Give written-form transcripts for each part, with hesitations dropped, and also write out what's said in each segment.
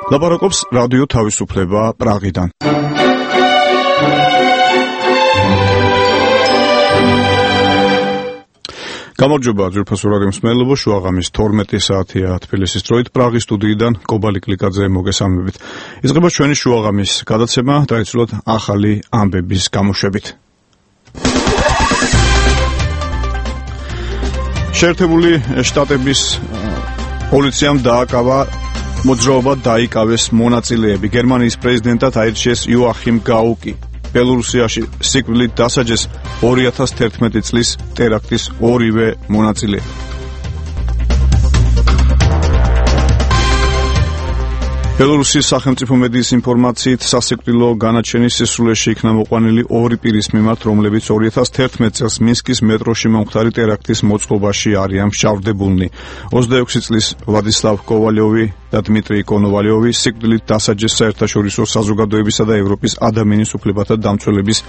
ლაპარაკობს რადიო თავისუფლება პრაღიდან. გამარჯობა ძვირფასო რადიო მსმენელებო, შუაღამის 12 საათია თბილისის დროით, პრაღის სტუდიიდან კობალი კლიკაძე მოგესალმებით. იწყება ჩვენი შუაღამის გადაცემა ტრადიციულად ახალი ამბების გამოშვებით. შეერთებული შტატების პოლიციამ დააკავა მოძრაობა დაიკავეს მონაწილეები. გერმანიის პრეზიდენტად აირჩიეს იოახიმ გაუკი. ბელორუსიაში სიკვდილით დასაჯეს 2011 წლის ტერაქტის ორივე მონაწილე. ბელორუსის სახელმწიფო მედიის ინფორმაციით სასიკვდილო განაჩენის სისრულეში იქნა მოყვანილი ორი პირის მიმართ, რომლებიც 2011 წელს მინსკის მეტროში მომხდარი ტერაქტის მოწყობაში არიან მსჯავრდებულნი. 26 წლის ვლადისლავ კოვალიოვი და დმიტრი კონოვალიოვი სიკვდილით დასაჯეს საერთაშორისო საზოგადოებისა და ევროპის ადამიანის უფლებათა დამცველების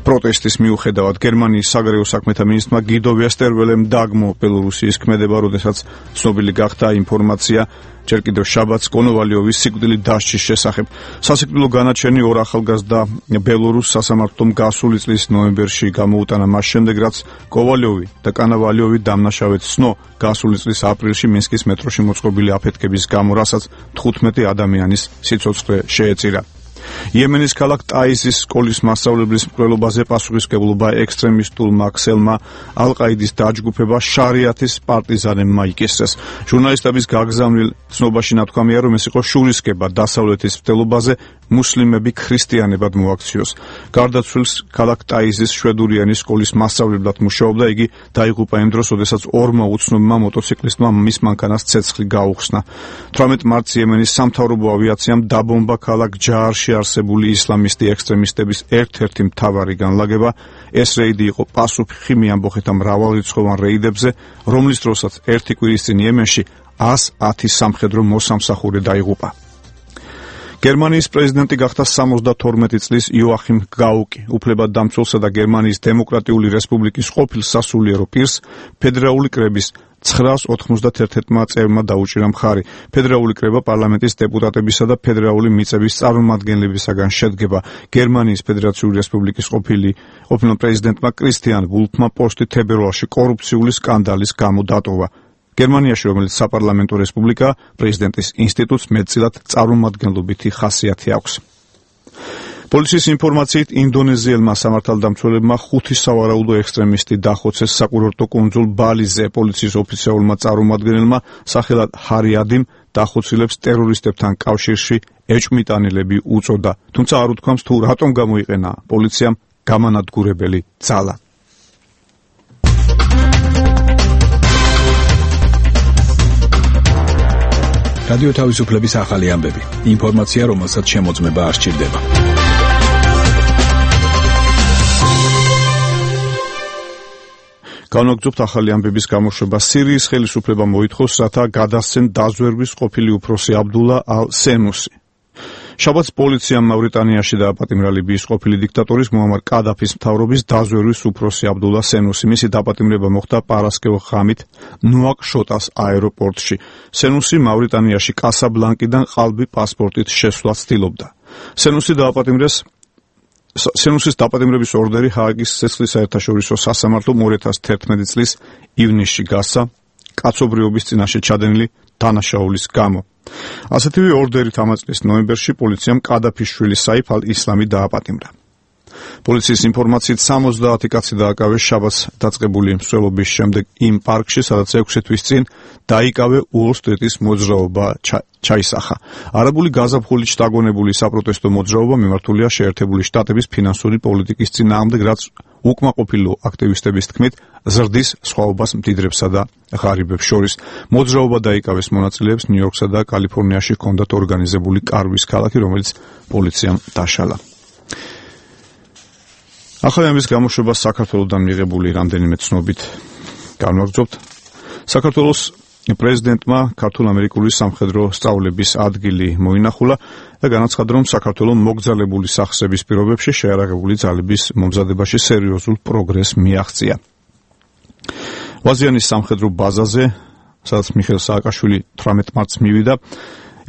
პროტესტის მიუხედავად. გერმანიის საგარეო საქმეთა მინისტრმა გიდო ვესტერველემ დაგმო ბელორუსიის ქმედება, როდესაც ცნობილი გახდა ინფორმაცია ჯერ კიდევ შაბათს კონოვალიოვის სიკვდილით დასჯის შესახებ. სასიკვდილო განაჩენი ორ ახალგაზრდა ბელორუს სასამართლომ გასული წლის ნოემბერში გამოუტანა, მას შემდეგ რაც კოვალიოვი და კანავალიოვი დამნაშავედ ცნო გასული წლის აპრილში მინსკის მეტროში მოწყობილი აფეთქების გამო, რასაც 15 ადამიანის სიცოცხლე შეეწირა. იემენის ქალაქ ტაიზის სკოლის მასწავლებლის მკვლელობაზე პასუხისმგებლობა ექსტრემისტულმა ქსელმა ალ-ყაიდის დაჯგუფება შარიათის პარტიზანებმა იკისრეს. ჟურნალისტების გაგზავნილ ცნობაში ნათქვამია, რომ ეს იყო შურისკება დასავლეთის მცდელობაზე მუსლიმები ქრისტიანებად მოაქციოს. გარდაცვლილს ქალაქ ტაიზის შვედურიანი სკოლის მასწავლებლად მუშაობდა. იგი დაიღუპა იმ დროს, როდესაც ორმა უცნობმა მოტოციკლისტმა მის მანქანას ცეცხლი გაუხსნა. 18 მარტს იემენის სამთავრობო ავიაციამ დაბომბა ქალაქ ჯაარში არსებული ისლამისტი ექსტრემისტების ერთ-ერთი მთავარი განლაგება. ეს რეიდი იყო პასუხი მიამბოხეთა მრავალრიცხოვან რეიდებზე, რომლის დროსაც ერთი კვირის წინ იემენში 110 სამხედრო მოსამსახურე დაიღუპა. გერმანიის პრეზიდენტი გახდა 72 წლის იოახიმ გაუკი. უფლებადდამცველსა და გერმანიის დემოკრატიული რესპუბლიკის ყოფილ სასულიერო პირს ფედერალური კრების 991 წევრმა დაუჭირა მხარი. ფედერალური კრება პარლამენტის დეპუტატებისა და ფედერალური მიწების წარმომადგენლებისაგან შედგება. გერმანიის ფედერაციული რესპუბლიკის ყოფილ პრეზიდენტმა კრისტიან ვულფმა პოსტი თებერვალში კორუფციული სკანდალის გამო დატოვა. გერმანიაში, რომელიც საპარლამენტო რესპუბლიკაა, პრეზიდენტის ინსტიტუტს მეტწილად წარმომადგენლობითი ხასიათი აქვს. პოლიციის ინფორმაციით ინდონეზიელმა სამართალდამცველებმა 5 სავარაუდო ექსტრემისტი დახოცეს საკურორტო კუნძულ ბალიზე. პოლიციის ოფიციალურმა წარმომადგენელმა სახელად ჰარიადიმ დახოცილებს ტერორისტებთან კავშირში ეჭვმიტანილები უწოდა, თუმცა არ უთქვამს თუ რატომ გამოიყენა პოლიციამ გამანადგურებელი ძალა. რადიო თავისუფლების ახალი ამბები. ინფორმაცია, რომელსაც შემოწმება არ სჭირდება. განვაგრძობთ ახალი ამბების გამოშვება. სირიის ხელისუფლებამ მოითხოვს, რათა გადასცენ დაზვერვის ყოფილი უფროსი აბდულა ალ-სენუსი. შაბათს პოლიციამ მავრიტანიაში დააპატიმრა ლიბიის ყოფილი დიქტატორის მუამარ კადაფის მთავრობის დაზვერვის უფროსი აბდულა სენუსი. მისი დაპატიმრება მოხდა პარასკევ ღამით ნუაკშოტას აეროპორტში. სენუსი მავრიტანიაში კასაბლანკიდან ყალბი პასპორტით შესვლას ცდილობდა. სენუსის დაპატიმრების ორდერი ჰააგის ცეცხლის საერთაშორისო სასამართლომ 2011 წლის ივნისში გასცა კაცობრიობის წინაშე ჩადენილი დანაშაულის გამო. ასეთივე ორდერით ამ წლის ნოემბერში პოლიციამ კადაფის შვილი საიფ ალ-ისლამი დააპატიმრა. პოლიციის ინფორმაციით 70 კაცი დააკავეს შაბათს დაწყებული მსვლელობის შემდეგ იმ პარკში, სადაც 6 თვის წინ დაიკავე უოლ-სტრიტის მოძრაობა ჩაისახა. არაბული გაზაფხულით შთაგონებული საპროტესტო მოძრაობა მიმართულია შეერთებული შტატების ფინანსური პოლიტიკის წინააღმდეგ, რაც უკმაყოფილო აქტივისტების თქმით ზრდის სხვაობას მდიდრებსა და ღარიბებს შორის. მოძრაობა დაიკავეს მონაწილეებს ნიუ-იორკსა და კალიფორნიაში ჰქონდათ ორგანიზებული კარვის ქალაქი, რომელიც პოლიციამ დაშალა. ახალი ამბის გამოშვება საქართველოსთან მიღებული რამდენიმე ცნობით განვაგრძობთ. საქართველოს პრეზიდენტმა ქართულ-ამერიკული სამხედრო სწავლების ადგილი მოინახულა და განაცხადა, რომ საქართველოს მოგზაურობის სახსების პირობებში შეარაღებული ძალების მომზადებაში სერიოზულ პროგრესს მიაღწია. ვაზიანის სამხედრო ბაზაზე, სადაც მიხეილ სააკაშვილი 18 მარტს მივიდა,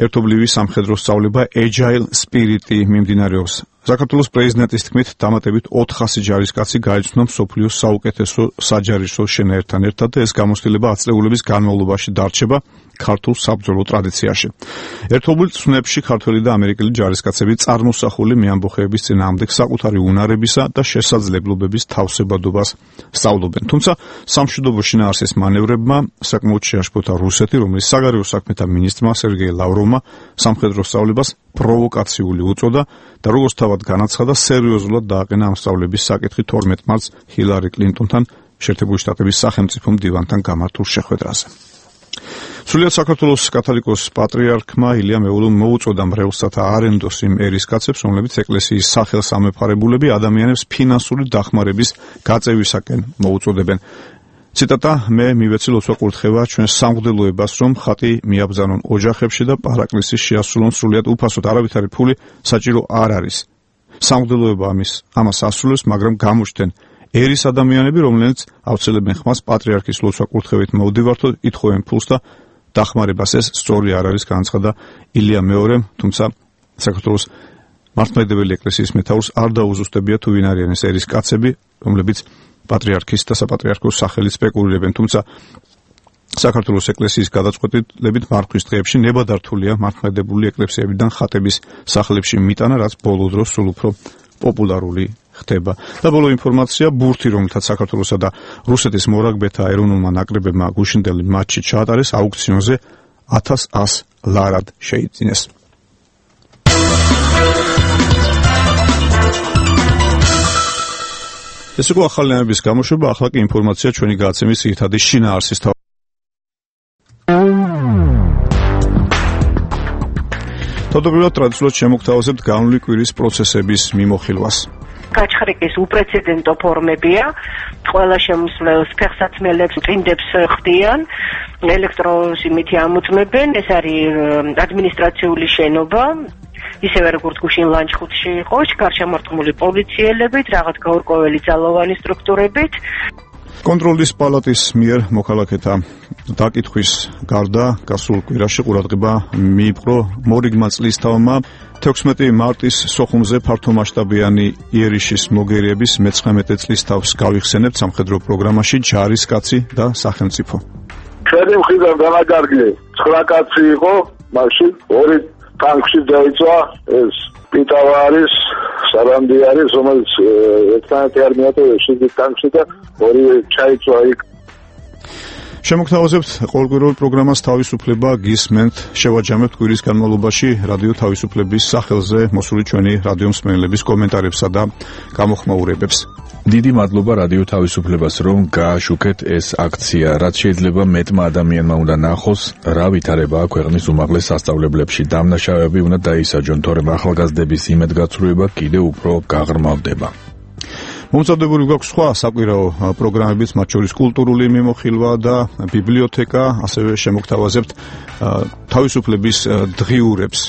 ერთობლივი სამხედრო სწავლება Agile Spirit-ი მიმდინარეობს. საქართველოს პრეზიდენტის თქმით, დამატებით 400 ჯარისკაცი გაიცნო მსოფლიოს საუკეთესო საჯარისო შენაერთთან ერთად და ეს გამოცდილება ათწლეულების განმავლობაში დარჩება ქართულ საბრძოლო ტრადიციაში. ერთობლივ წვნებში ქართველი და ამერიკელი ჯარისკაცები წარმოსახული მეამბოხეების წინააღმდეგ საკუთარი უნარებისა და შესაძლებლობების თავსებადობას სწავლობენ. თუმცა სამშვიდობო შინაარსის მანევრებმა საკმაოდ შეაშფოთა რუსეთი, რომლის საგარეო საქმეთა მინისტრმა სერგეი ლავროვმა სამხედრო სწავლებას პროვოკაციული უწოდა და როგორც თავად განაცხადა, სერიოზულად დააყენა ამ სწავლების საკითხი 12 მარტს ჰილარი კლინტონთან შეერთებული შტატების სახელმწიფო მდივანთან გამართულ შეხვედრაზე. სრულიად საქართველოს კათოლიკოს პატრიარქმა ილია მეულომ მოუწოდა მრევლსა და არენდოს იმ ერისკაცებს, რომლებიც ეკლესიის სახელს ამეფარებულები ადამიანებს ფინანსური დახმარების გაწევისაკენ მოუწოდებენ. ციტატა: მე მივეცი ლოცვა-კურთხევა ჩვენს სამღვდელოებას, რომ ხატი მიაბრძანონ ოჯახებში და პარაკლისი შეასრულონ სრულიად უფასოდ, არავითარი ფული საჭირო არ არის. სამღვდელოება ამას ასრულებს, მაგრამ გამოჩნდნენ ერის ადამიანები, რომლებიც აუცილებენ ხმას პატრიარქის ლოცვა-კურთხევით მოვდივართო, ითხოვენ ფულს და დახმარებას. ეს სწორი არ არის, განაცხადა ილია მეორემ, თუმცა საქართველოს მართლმადიდებელი ეკლესიის მეთაურს არ დაუზუსტებია თუ ვინ არიან ეს ერისკაცები, რომლებიც პატრიარქის და საპატრიარქოს სახელით სპეკულირებენ. თუმცა საქართველოს ეკლესიის გადაწყვეტილებით მართვის დღეებში ნებადართულია მართლმადიდებელი ეკლესიებიდან ხატების სახლებში მიტანა, რაც ბოლო დროს სულ უფრო პოპულარული ხდება. და ბოლო ინფორმაცია: ბურთი, რომელთაც საქართველოსა და რუსეთის მორაგბეთა ეროვნულმა ნაკრებებმა გუშინდელი მატჩი ჩაატარეს, აუქციონზე 1100 ლარად შეიძინეს. ეს იყო ახალი ამების გამოშვება, ახლა კი ინფორმაცია ჩვენი გადაცემის ძირითადი შინაარსის თავდაპირველად ტრადიციულად შემოგთავაზებთ განვლილი კვირის პროცესების მიმოხილვას. გაჩხრიკის უპრეცედენტო ფორმებია, ყველა შემსვლელს ფეხსაცმელებს, წინდებს ხდიან, ელექტროსიმითი ამოწმებენ, ეს არის ადმინისტრაციული შენობა, ისევე როგორც გუშინ ლანჩხუთში იყო, გარშემორტყმული პოლიციელებით, რაღაც გაურკვეველი ძალოვანი სტრუქტურებით. კონტროლის პალატის მიერ მოქალაქეთა დაკითხვის გარდა გასულ კვირაში ყურადღება მიიპყრო მორიგმა წლისთავმა 16 მარტის სოხუმზე ფართომასშტაბიანი იერიშის მოგერიების 19 წლისთავს გავიხსენებთ სამხედრო პროგრამაში ჯარისკაცი და სახელმწიფო. ჩვენი მხრიდან განაგარგე 9 კაცი იყო, მაშინ 2 ტანკში დაიწვა, ეს პიტავარის სარანდი არის, რომელიც ერთმანეთი არ მიატოვეს შიგნით ტანკში და 2 ჩაიწვა იქ. შემოგთავაზებთ ყოველკვირეულ პროგრამას თავისუფლება გისმენთ, შევაჯამებთ კვირის განმავლობაში რადიო თავისუფლების სახელზე მოსული ჩვენი რადიო მსმენელების კომენტარებსა და გამოხმაურებებს. დიდი მადლობა რადიო თავისუფლებას, რომ გააშუქეთ ეს აქცია, რაც შეიძლება მეტმა ადამიანმა უნდა ნახოს, რა ვითარებაა ქვეყნის უმაღლეს სასწავლებლებში. დამნაშავეები უნდა დაისაჯონ, თორემ ახალგაზრდების იმედგაცრუება კიდევ უფრო გაღრმავდება. მომწოდებული გვაქვს სხვა საკვირაო პროგრამებიც, მათ შორის კულტურული მიმოხილვა და ბიბლიოთეკა, ასევე შემოგთავაზებთ თავისუფლების დღიურებს.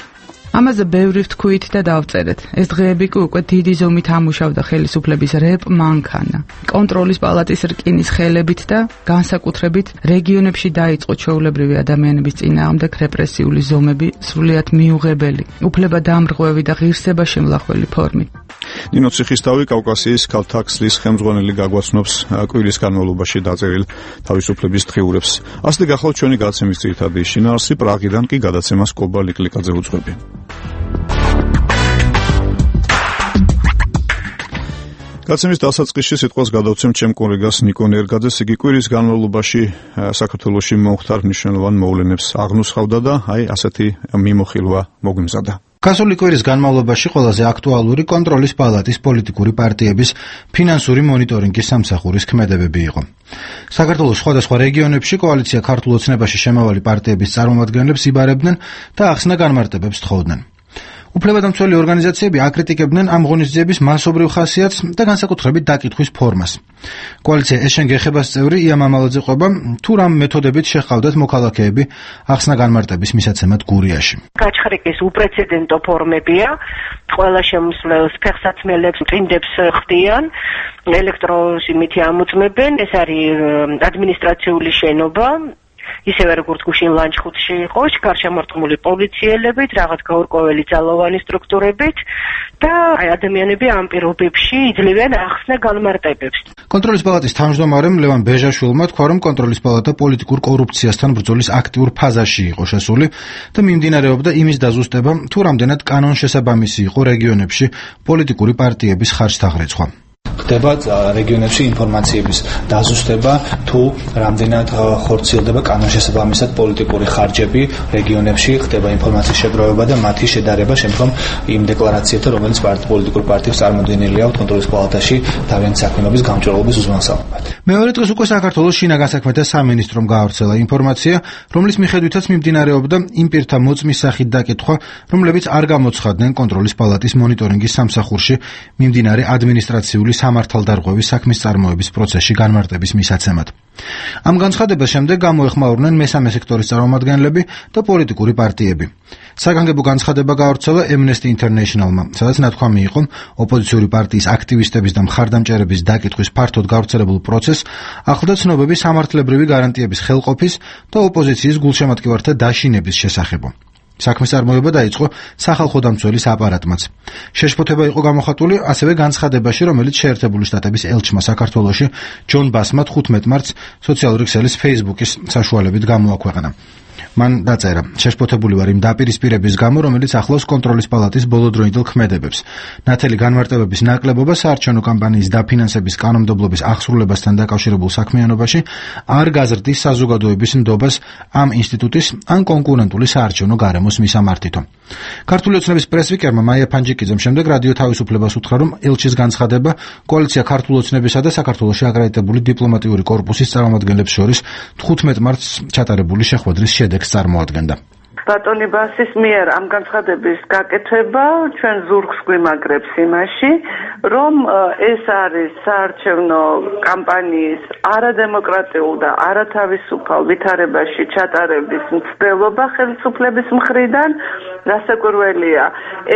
ამაზე ბევრი ვთქვით და დავწერეთ. ეს დღეები კი უკვე დიდი ზომით ამუშავდა ხელისუფლების რეპ მანქანა. კონტროლის პალატის რკინის ხელებით და განსაკუთრებით რეგიონებში დაიწყო ჩვეულებრივი ადამიანების წინააღმდეგ რეპრესიული ზომები სრულიად მიუღებელი, უფლებადამრღვევი და ღირსება შემლახველი ფორმით. ნინო ციხისთავი კავკასიის ქალთა ქსლის ხელმძღვანელი გაგვაცნობს კვირის განმავლობაში დაწერილ თავისუფლების დღიურებს. ასე გახლავთ ჩვენი გადაცემის ძირითადი შინაარსი, პრაღიდან კი გადაცემას კობა ლიკლიკაძე უძღვები. გადაცემის დასაწყისში სიტყვას გადავცემ ჩემ კოლეგას ნიკო ნერგაძეს. იგი კვირის განმავლობაში საქართველოში მომხდარ მნიშვნელოვან მოვლენებს აღნუსხავდა და ასეთი მიმოხილვა მოგვიმზადა. გასული კვირის განმავლობაში ყველაზე აქტუალური კონტროლის პალატის პოლიტიკური პარტიების ფინანსური მონიტორინგის სამსახურის ქმედებები იყო. საქართველოს სხვადასხვა რეგიონებში კოალიცია ქართულ ოცნებაში შემავალი პარტიების წარმომადგენლებს იბარებდნენ და ახსნა განმარტებებს თხოვდნენ. უფლებადამცველი ორგანიზაციები აკრიტიკებდნენ ამ ღონისძიების მასობრივ ხასიათს და განსაკუთრებით დაკითხვის ფორმას. კოალიცია ეს-შენ გეხებას წევრი ია მამალაძე ყვება, თუ რამ მეთოდებით შეჰყავდათ მოქალაქეები ახსნა განმარტების მისაცემად გურიაში. გაჩხრიკის უპრეცედენტო ფორმებია, ყველა შემსვლელს ფეხსაცმელებს, წინდებს ხდიან, ელექტროსიმითი ამოწმებენ, ეს არის ადმინისტრაციული შენობა, ისევე როგორც გუშინ ლანჩხუთში იყო, გარშემორტყმული პოლიციელებით, რაღაც გაურკვეველი ძალოვანი სტრუქტურებით და ადამიანები ამ პირობებში იძლევიან ახსნა განმარტებებს. კონტროლის პალატის თავმჯდომარემ ლევან ბეჟაშვილმა თქვა, რომ კონტროლის პალატა პოლიტიკურ კორუფციასთან ბრძოლის აქტიურ ფაზაში იყო შესული და მიმდინარეობდა იმის დაზუსტება, თუ რამდენად კანონშესაბამისი იყო რეგიონებში პოლიტიკური პარტიების ხარჯთაღრეცხვა. ხდება რეგიონებში ინფორმაციების დაზუსტება, თუ რამდენად ხორციელდება კანონშესაბამისად პოლიტიკური ხარჯები რეგიონებში, ხდება ინფორმაციის შეგროვება და მათი შედარება შემდგომ იმ დეკლარაციებთან, რომელიც პოლიტიკურ პარტიებს წარმოდგენილი აქვს კონტროლის პალატაში თავიანთი საქმიანობის გამჭვირვალობის უზრუნველსაყოფად. მეორე დღეს უკვე საქართველოს შინაგან საქმეთა სამინისტრომ გაავრცელა ინფორმაცია, რომლის მიხედვითაც მიმდინარეობდა იმ პირთა მოწმის სახით დაკითხვა, რომლებიც არ გამოცხადდნენ კონტროლის პალატის მონიტორინგის სამსახურში მიმდინარე ადმინისტრაციული სამართალდარღვევის საქმის წარმოების პროცესში განმარტების მისაცემად. ამ განცხადებას შემდეგ გამოეხმაურნენ მესამე სექტორის წარმომადგენლები და პოლიტიკური პარტიები. საგანგებო განცხადება გაავრცელა Amnesty International-მა, სადაც ნათქვამი იყო, ოპოზიციური პარტიის აქტივისტების და მხარდამჭერების დაკითხვის ფართოდ გავრცელებულ პროცესს ახლდა ცნობები სამართლებრივი გარანტიების ხელყოფის და ოპოზიციის გულშემატკივართა დაშინების შესახებ. საქმის წარმოება დაიწყო სახალხო დამცველის აპარატმაც. შეშფოთება იყო გამოხატული ასევე განცხადებაში, რომელიც შეერთებული შტატების ელჩმა საქართველოში ჯონ ბასმა 15 მარტს სოციალური ქსელის Facebook-ის საშუალებით გამოაქვეყნა. მან დაწერა: შეშფოთებული ვარ იმ დაპირისპირების გამო, რომელიც ახლავს კონტროლის პალატის ბოლოდროინდელ ქმედებებს. ნათელი განმარტებების ნაკლებობა საარჩევნო კამპანიის დაფინანსების კანონმდებლობის აღსრულებასთან დაკავშირებულ საქმიანობაში არ გაზრდის საზოგადოების ნდობას ამ ინსტიტუტის ან კონკურენტული საარჩევნო გარემოს მისამართითო. ქართული ოცნების პრესვიკერმა მაია ფანჯიკიძემ შემდეგ რადიო თავისუფლებას უთხრა, რომ ელჩის განცხადება კოალიცია ქართული ოცნებისა და საქართველოში აკრედიტებული დიპლომატიური კორპუსის წარმომადგენლებს შორის 15 მარტს ჩატარებული შეხვედრის შედეგს წარმოადგენდა. ბატონი ბასის მიერ ამ განცხადების გაკეთება ჩვენ ზურგს გვიმაგრებს იმაში, რომ ეს არის საარჩევნო კამპანიის არადემოკრატიულ და არათავისუფალ ვითარებაში ჩატარების მცდელობა ხელისუფლების მხრიდან. გასაკვირველია,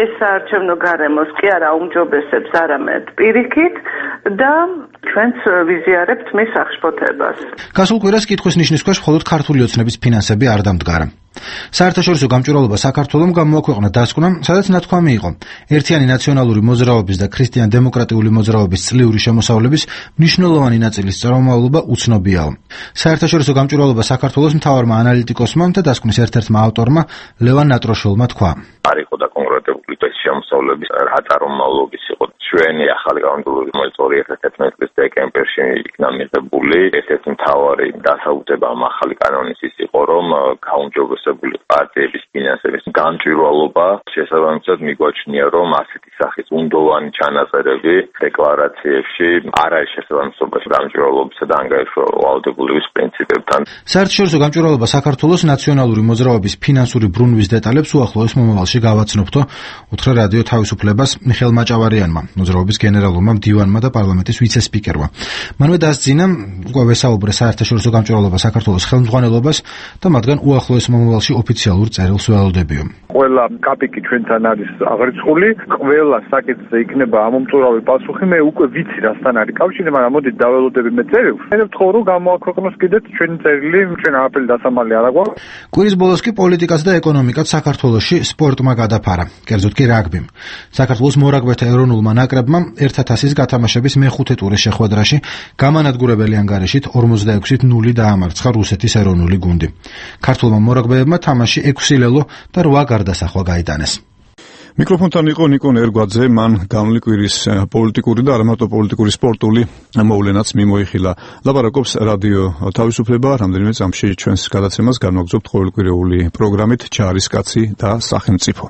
ეს საარჩევნო გარემოს კი არა უმჯობესებს, არამედ პირიქით და ჩვენც ვიზიარებთ მის აღშფოთებას. გასულ კვირას კითხვის ნიშნის ქვეშ მხოლოდ ქართული ოცნების ფინანსები არ დამდგარა. საერთაშორისო გამჭვირვალობა საქართველომ გამოაქვეყნა დასკვნა, სადაც ნათქვამი იყო, ერთიანი ნაციონალური მოძრაობის და ქრისტიან-დემოკრატიული მოძრაობის წლიური შემოსავლების მნიშვნელოვანი ნაწილის წარმომავლობა უცნობიაო. საერთაშორისო გამჭვირვალობა საქართველოს მთავარმა ანალიტიკოსმა და დასკვნის ერთ-ერთმა ავტორმა ლევან ნატროშოლმა თქვა: არ იყო და კონკრეტული შემოსავლების რა წარმომავლობის იყო ჩვენი ახალი კანონმდებლობის 2011 წლის დეკემბერში იქნა მიღებული. ერთ-ერთი მთავარი დასაუთება ამ ახალი კანონის ის იყო, რომ გაუმჯობესებული პარტიების ფინანსების გამჭვირვალობა შესაბამისად მიგვაჩნია, რომ ასეთი სახის უნდოვანი ჩანაწერები დეკლარაციებში არ არის შესაბამისობაში გამჭვირვალობისა და ანგარიშვალდებულების პრინციპებთან. საერთაშორისო გამჭვირვალობა საქართველოს ნაციონალური მოძრაობის ფინანსური ბრუნვის დეტალებს უახლოეს მომავალში გავაცნობთო, უთხრა რადიო თავისუფლებას მიხეილ მაჭავარიანმა, მოძრაობის გენერალურმა მდივანმა და პარლამენტის ვიცე-სპიკერმა. მანვე დასძინა უკვე ვესაუბრე საერთაშორისო გამჭვირვალობა საქართველოს ხელმძღვანელობას და მათგან უახლოეს მომავალში ოფიციალურ წერილს ველოდებიო. ყველა კაპიკი ჩვენთან არის აღრიცხული, ყველა საკითხზე იქნება ამომწურავი პასუხი. მე უკვე ვიცი რასთან არის კავშირი, მაგრამ მოდით დაველოდები მე წერილს. მე ვთხოვ, რომ გამოაქვეყნოს კიდეც ჩვენი წერილი, ჩვენ არაფერი დასამალი არ აგვაქვს. კვირის ბოლოს კი პოლიტიკაც და ეკონომიკაც საქართველოში სპორტმა გადაფარა, კერძოდ კი რაგბიმ. საქართველოს მორაგბეთა ეროვნულმა ნაკრებმა 1-1000-ის გათამაშების მეხუთე ტურის შეხვედრაში გამანადგურებელი ანგარიშით 46-0 დაამარცხა რუსეთის ეროვნული გუნდი. ქართულმა მორაგბეებმა თამაში 6 ლელო და 8 გარდასახვა გაიტანეს. მიკროფონთან იყო ნიკონ ერგვაძე, მან გამლი კვირის პოლიტიკური და არამატო პოლიტიკური სპორტული მოვლენაც მიმოიხილა. ლაპარაკობს რადიო თავისუფლება, რამდენიმე წამში ჩვენს გადაცემას განვაგრძობთ ყოველკვირეული პროგრამით ჯარისკაცი და სახელმწიფო.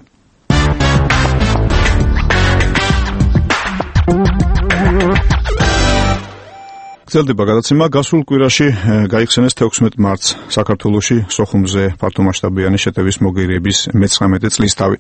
გრძელდება გადაცემა. გასულ კვირაში გაიხსენეს 16 მარტს საქართველოში სოხუმზე ფართომასშტაბიანი შეტევის მოგერიების მე-19 წლისთავი.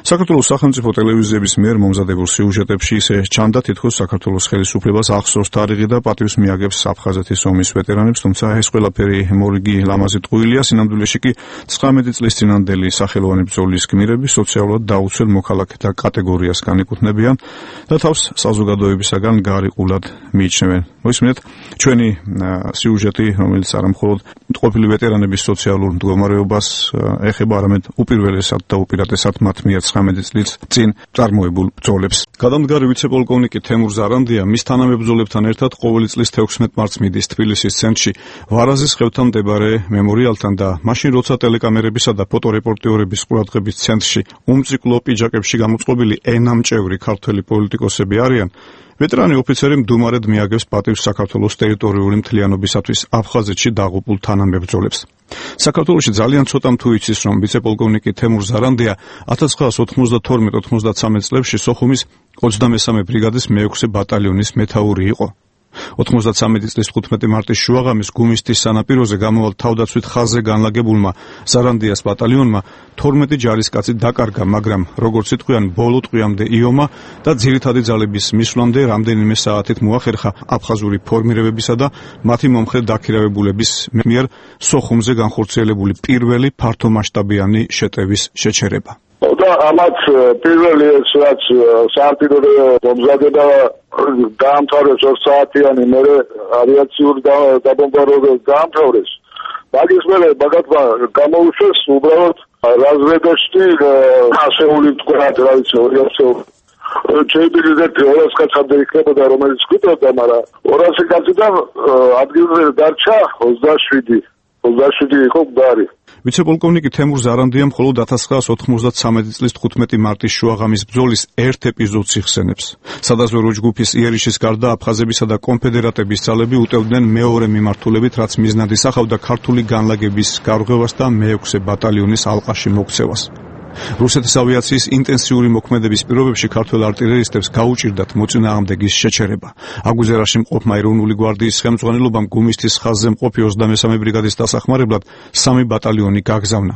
საქართველოს სახელმწიფო ტელევიზიების მიერ მომზადებულ სიუჟეტებში ისე ჩანდა, თითქოს საქართველოს ხელისუფლებას ახსოვს თარიღი და პატივს მიაგებს აფხაზეთის ომის ვეტერანებს, თუმცა ეს ყველაფერი მორიგი ლამაზი ტყუილია. სინამდვილეში კი 19 წლის წინანდელი სახელოვანი ბრძოლის გმირები სოციალურად დაუცველ მოქალაქეთა კატეგორიას განეკუთვნებიან და თავს საზოგადოებისაგან გარიყულად მიიჩნევენ. მოისმინეთ ჩვენი სიუჟეტი, რომელიც არა მხოლოდ ყოფილი ვეტერანების სოციალურ მდგომარეობას ეხება, არამედ უპირველესად და უპირატესად მათ მიერ 19 წლის წინ წარმოებულ ბრძოლებს. გადამდგარი ვიცე-პოლკოვნიკი თემურ ზარანდია მის თანამებრძოლებთან ერთად ყოველი წლის 16 მარტს მიდის თბილისის ცენტრში ვარაზის ხევთან მდებარე მემორიალთან და მაშინ როცა ტელეკამერებისა და ფოტორეპორტიორების ყურადღების ცენტრში უმციკლო პიჯაკებში გამოწყობილი ენამჭევრი ქართველი პოლიტიკოსები არიან, ვეტერანი ოფიცერი მდუმარედ მიაგებს პატივს საქართველოს ტერიტორიული მთლიანობისათვის აფხაზეთში დაღუპულ თანამებრძოლებს. საქართველოში ძალიან ცოტამ თუ იცის, რომ ვიცე-პოლკოვნიკი თემურ ზარანდია 1992-93 წლებში სოხუმის 23 ბრიგადის მე-6 ბატალიონის მეთაური იყო. 93 წლის 15 მარტის შუაღამის გუმისთის სანაპიროზე გამოვალ თავდაცვით ხაზზე განლაგებულმა ზარანდიას ბატალიონმა 12 ჯარისკაცი დაკარგა, მაგრამ როგორც იტყვიან, ბოლო ტყვიამდე იომა და ძირითადი ძალების მისვლამდე რამდენიმე საათით მოახერხა აფხაზური ფორმირებებისა და მათი მომხრე დაქირავებულების მიერ სოხუმზე განხორციელებული პირველი ფართომასშტაბიანი შეტევის შეჩერება. და ამათ პირველი ეს რაც საარტილერიო მომზადება დაამთავრეს 2 საათიანი მერე ავიაციური დაბომბარდირება დაამთავრეს. მაგის მერე მაგათმა გამოუშვეს უბრალოდ რაზვედაში ასეული თქვათ რა ვიცი 200 შეიძლება 200 კაცამდე იქნებოდა რომელიც გვიტყოდა, მაგრამ 200 კაციდან ადგილზე დარჩა 27 იყო გვარი. ვიცე-პოლკოვნიკი თემურ ზარანდია მხოლოდ 1993 წლის 15 მარტის შუაღამის ბრძოლის ერთ ეპიზოდს იხსენებს. სადაზვერვო ჯგუფის იერიშის გარდა აფხაზებისა და კონფედერატების ძალები უტევდნენ მეორე მიმართულებით, რაც მიზნად ისახავდა ქართული განლაგების გარღვევას და მე-6 ბატალიონის ალყაში მოქცევას. რუსეთის ავიაციის ინტენსიური მოქმედების პირობებში ქართველ არტილერისტებს გაუჭირდათ მოწინააღმდეგის შეჩერება. აგვიზერაში მყოფმა ეროვნული გვარდიის ხელმძღვანელობამ გუმისთის ხაზზე მყოფი 23 ბრიგადის დასახმარებლად 3 ბატალიონი გაგზავნა.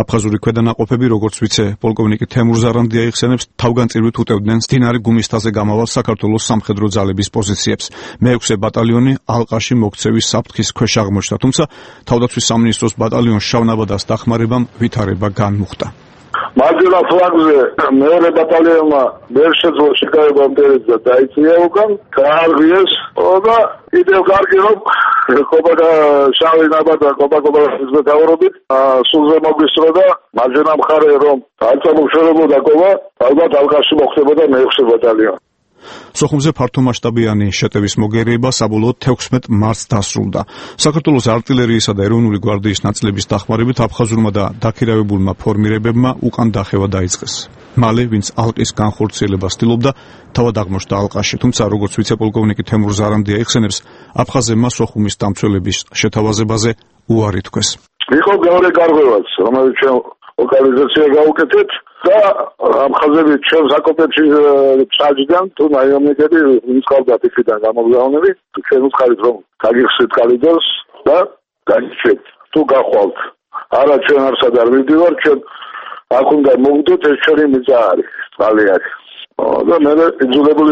აფხაზური ქვედანაყოფები, როგორც ვიცე-პოლკოვნიკი თემურ ზარანდია იხსენებს, თავგანწირვით უტევდნენ მდინარე გუმისთაზე გამავალ საქართველოს სამხედრო ძალების პოზიციებს. მე-6 ბატალიონი ალყაში მოქცევის საფრთხის ქვეშ აღმოჩნდა, თუმცა თავდაცვის სამინისტროს ბატალიონს შავნაბადას დახმარებამ ვითარება განმუხტა. მარჯვენა ფლანგზე მეორე ბატალიონმა ვერ შეძლო შეკავება მტერს და დაიწია უკან, გაარღვიეს და კიდევ კარგი რომ კოპაკა შავი ნაბადა კოპაკის მეთაურობით სულზე მოგვისწრო და მარჯვენა მხარე რომ არწამუშავებოდა კოპა, ალბათ ალყაში მოხდებოდა მე-6 ბატალიონი. სოხუმზე ფართომასშტაბიანი შეტევის მოგერიება საბოლოოდ 16 მარტს დასრულდა. საქართველოს არტილერიისა და ეროვნული გვარდიის ნაწილების დახმარებით აფხაზურმა და დაქირავებულმა ფორმირებებმა უკან დახევა დაიწყეს. მალე, ვინც ალყის განხორციელებას ცდილობდა, თავად აღმოჩნდა ალყაში, თუმცა როგორც ვიცე-პოლკოვნიკი თემურ ზარანდია იხსენებს, აფხაზებმა სოხუმის დამცველების შეთავაზებაზე უარი თქვეს. იყო მეორე გარღვევაც, რომელიც ჩვენ ლოკალიზაცია გავუკეთეთ და აფხაზები ჩვენს აკოპებში ჩაჯდან თუ ნაიომნიკები მისყავდათ იქიდან გამოგზავნები, ჩვენ უცხარით რომ გაგიხსნით კალიდორს და გაგიჩვენთ თუ გახვალთ. არა ჩვენ არსად არ მივდივარ, ჩვენ აქ უნდა მოვიდეთ, ეს ჩვენი მიწა არის, წყალი არის. და მე იძულებული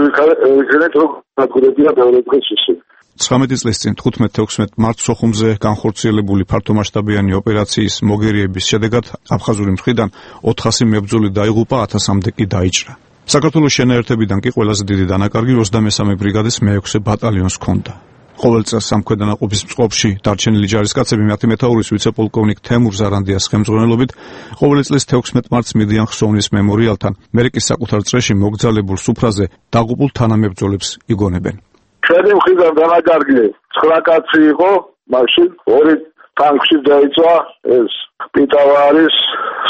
ვიქნეთ რომ გაგურებია მეორე დღეს ისე. 19 წლის წინ 15-16 მარტს სოხუმზე განხორციელებული ფართომასშტაბიანი ოპერაციის მოგერიების შედეგად აფხაზური მხრიდან 400 მებრძოლი დაიღუპა, 1000-მდე კი დაიჭრა. საქართველოს შენაერთებიდან კი ყველაზე დიდი დანაკარგი 23 ბრიგადის მე-6 ბატალიონს ჰქონდა. ყოველ წელს სამხედრო-ნაყოფის წყობაში დარჩენილი ჯარისკაცები მათი მეთაურის ვიცე-პოლკოვნიკ თემურ ზარანდიას ხელმძღვანელობით ყოველი წლის 16 მარტს მიდიან ხსოვნის მემორიალთან, მერიკის საკუთარ წრეში მოგზალებულ სუფრაზე დაღუპულ თანამებრძოლებს იგონებენ. ჩვენი მხრიდან დანაკარგი 9 კაცი იყო, მაშინ 2 ტანკში დაიწვა, ეს პიტავა არის,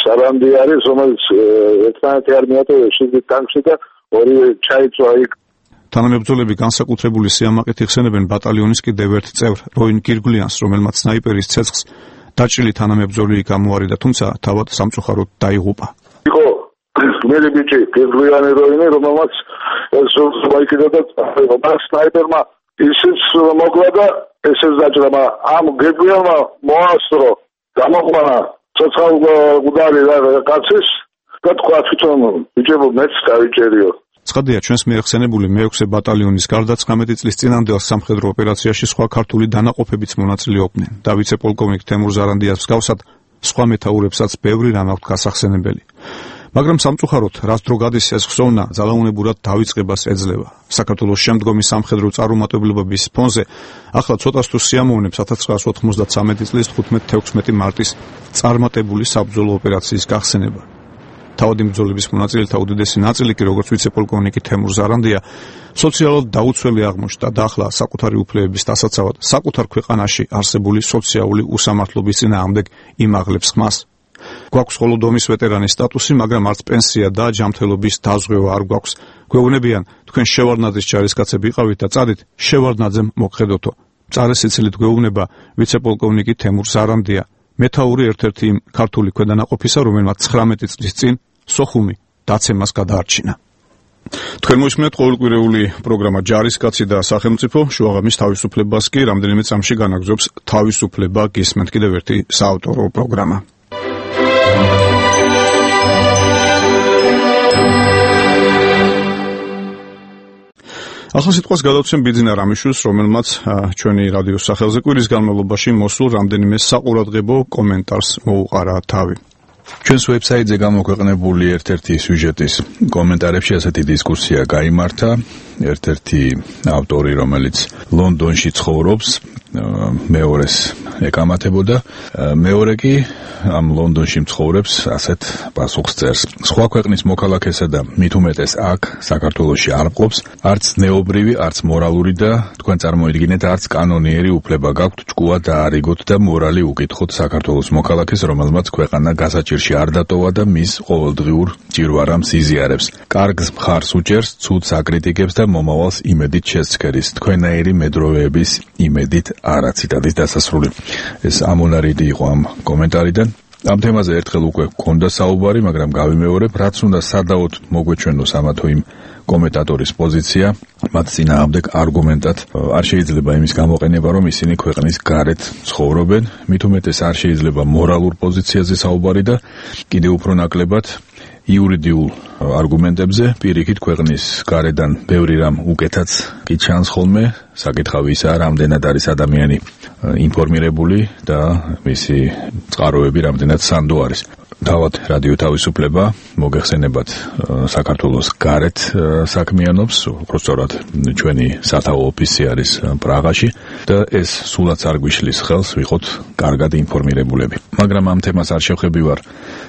სარანდი არის, რომელიც ერთმანეთი არ მიატოვეს შიგნით ტანკში და 2 ჩაიწვა იქ. თანამებრძოლები განსაკუთრებული სიამაყით იხსენებენ ბატალიონის კიდევ ერთ წევრ როინ გირგლიანს, რომელმაც სნაიპერის ცეცხლს დაჭრილი თანამებრძოლი გამუარიდა, თუმცა თავად სამწუხაროდ დაიღუპა. იყო მერი ბიჭი გირგლიანი როინი, რომელმაც ეს მოიკიდა და სნაიპერმა ისიც მოკლა და ესეც დაჭრა, ამ გირგლიანმა მოასწრო გამოყვანა ცოცხალ გუდარი კაცის და თქვა თვითონ ბიჭებო მეც დავიჭერიო. ცხადია, ჩვენს მიერ ხსენებული მე-6 ბატალიონის გარდა 19 წლის წინანდელ სამხედრო ოპერაციაში სხვა ქართული დანაყოფებიც მონაწილეობდნენ და ვიცე-პოლკოვნიკ თემურ ზარანდიას მსგავსად სხვა მეთაურებსაც ბევრი რამ აქვთ გასახსენებელი. მაგრამ სამწუხაროდ, რაც დრო გადის ეს ხსოვნა ძალაუნებურად დავიწყებას ეძლევა. საქართველოს შემდგომი სამხედრო წარუმატებლობების ფონზე ახლა ცოტას თუ სიამოვნებს 1993 წლის 15-16 მარტის წარმატებული საბრძოლო ოპერაციის გახსენება. თავადი ბრძოლების მონაწილეთა უდიდესი ნაწილი კი როგორც ვიცე-პოლკოვნიკი თემურ ზარანდია სოციალურად დაუცველი აღმოჩნდა და ახლა საკუთარი უფლებების დასაცავად საკუთარ ქვეყანაში არსებული სოციალური უსამართლობის წინააღმდეგ იმაღლებს ხმას. გვაქვს მხოლოდ ომის ვეტერანის სტატუსი, მაგრამ არც პენსია და ჯანმრთელობის დაზღვევა არ გვაქვს. გვეუბნებიან, თქვენ შევარდნაძის ჯარისკაცები იყავით და წადით შევარდნაძემ მოგხედოთო. მწარე სიცილით გვეუბნება ვიცე-პოლკოვნიკი თემურ ზარანდია, მეთაური ერთ-ერთი ქართული ქვედანაყოფისა, რომელმაც 19 წლის წინ სოხუმი დაცემას გადაარჩინა. თქვენ მოისმენთ ყოველკვირეული პროგრამა ჯარისკაცი და სახელმწიფო, შუაღამის თავისუფლებას კი რამდენიმე წამში განაგრძობს თავისუფლება გისმენთ კიდევ ერთი საავტორო პროგრამა. ახლა სიტყვას გადავცემ ბიძინა რამიშვილს, რომელმაც ჩვენი რადიოს სახელზე კვირის განმავლობაში მოსულ რამდენიმე საყურადღებო კომენტარს მოუყარა თავი. ჩვენს ვებსაიტზე გამოქვეყნებული ერთ-ერთი სიუჟეტის კომენტარებში ასეთი დისკუსია გაიმართა. ერთ-ერთი ავტორი, რომელიც ლონდონში ცხოვრობს, მეორეს ეკამათებოდა, მეორე კი ამ ლონდონში მცხოვრებს ასეთ პასუხს წერს. სხვა ქვეყნის მოქალაქესა და მით უმეტეს აქ საქართველოში არ მყოფს, არც ნეობრივი, არც მორალური და თქვენ წარმოიდგინეთ, არც კანონიერი უფლება გაქვთ ჭკუა დაარიგოთ და მორალი უკითხოთ საქართველოს მოქალაქეს, რომელმაც ქვეყანა გასაჭირში არ დატოვა და მის ყოველდღიურ ჭირვარამს იზიარებს. კარგს მხარს უჭერს, ცუდს აკრიტიკებს და მომავალს იმედით შესცქერის. თქვენაირი მედროვეების იმედით არა. ციტატის დასასრული. ეს ამონარიდი იყო ამ კომენტარიდან. ამ თემაზე ერთხელ უკვე გქონდა საუბარი, მაგრამ გავიმეორებ, რაც უნდა სადავოდ მოგვეჩვენოს ამა თუ იმ კომენტატორის პოზიცია, მათ წინააღმდეგ არგუმენტად არ შეიძლება იმის გამოყენება, რომ ისინი ქვეყნის გარეთ ცხოვრობენ, მით უმეტეს არ შეიძლება მორალურ პოზიციაზე საუბარი და კიდევ უფრო ნაკლებად იურიდიულ არგუმენტებზე, პირიქით ქვეყნის გარედან ბევრი რამ უკეთაც კი ჩანს ხოლმე, საკითხავი ისაა, რამდენად არის ადამიანი ინფორმირებული და მისი წყაროები რამდენად სანდო არის. თავად რადიო თავისუფლება მოგეხსენებათ საქართველოს გარეთ საქმიანობს, უბრალოდ ჩვენი სათავო ოფისი არის პრაღაში და ეს სულაც არ გვიშლის ხელს ვიყოთ კარგად ინფორმირებულები. მაგრამ ამ თემას არ შევხებივარ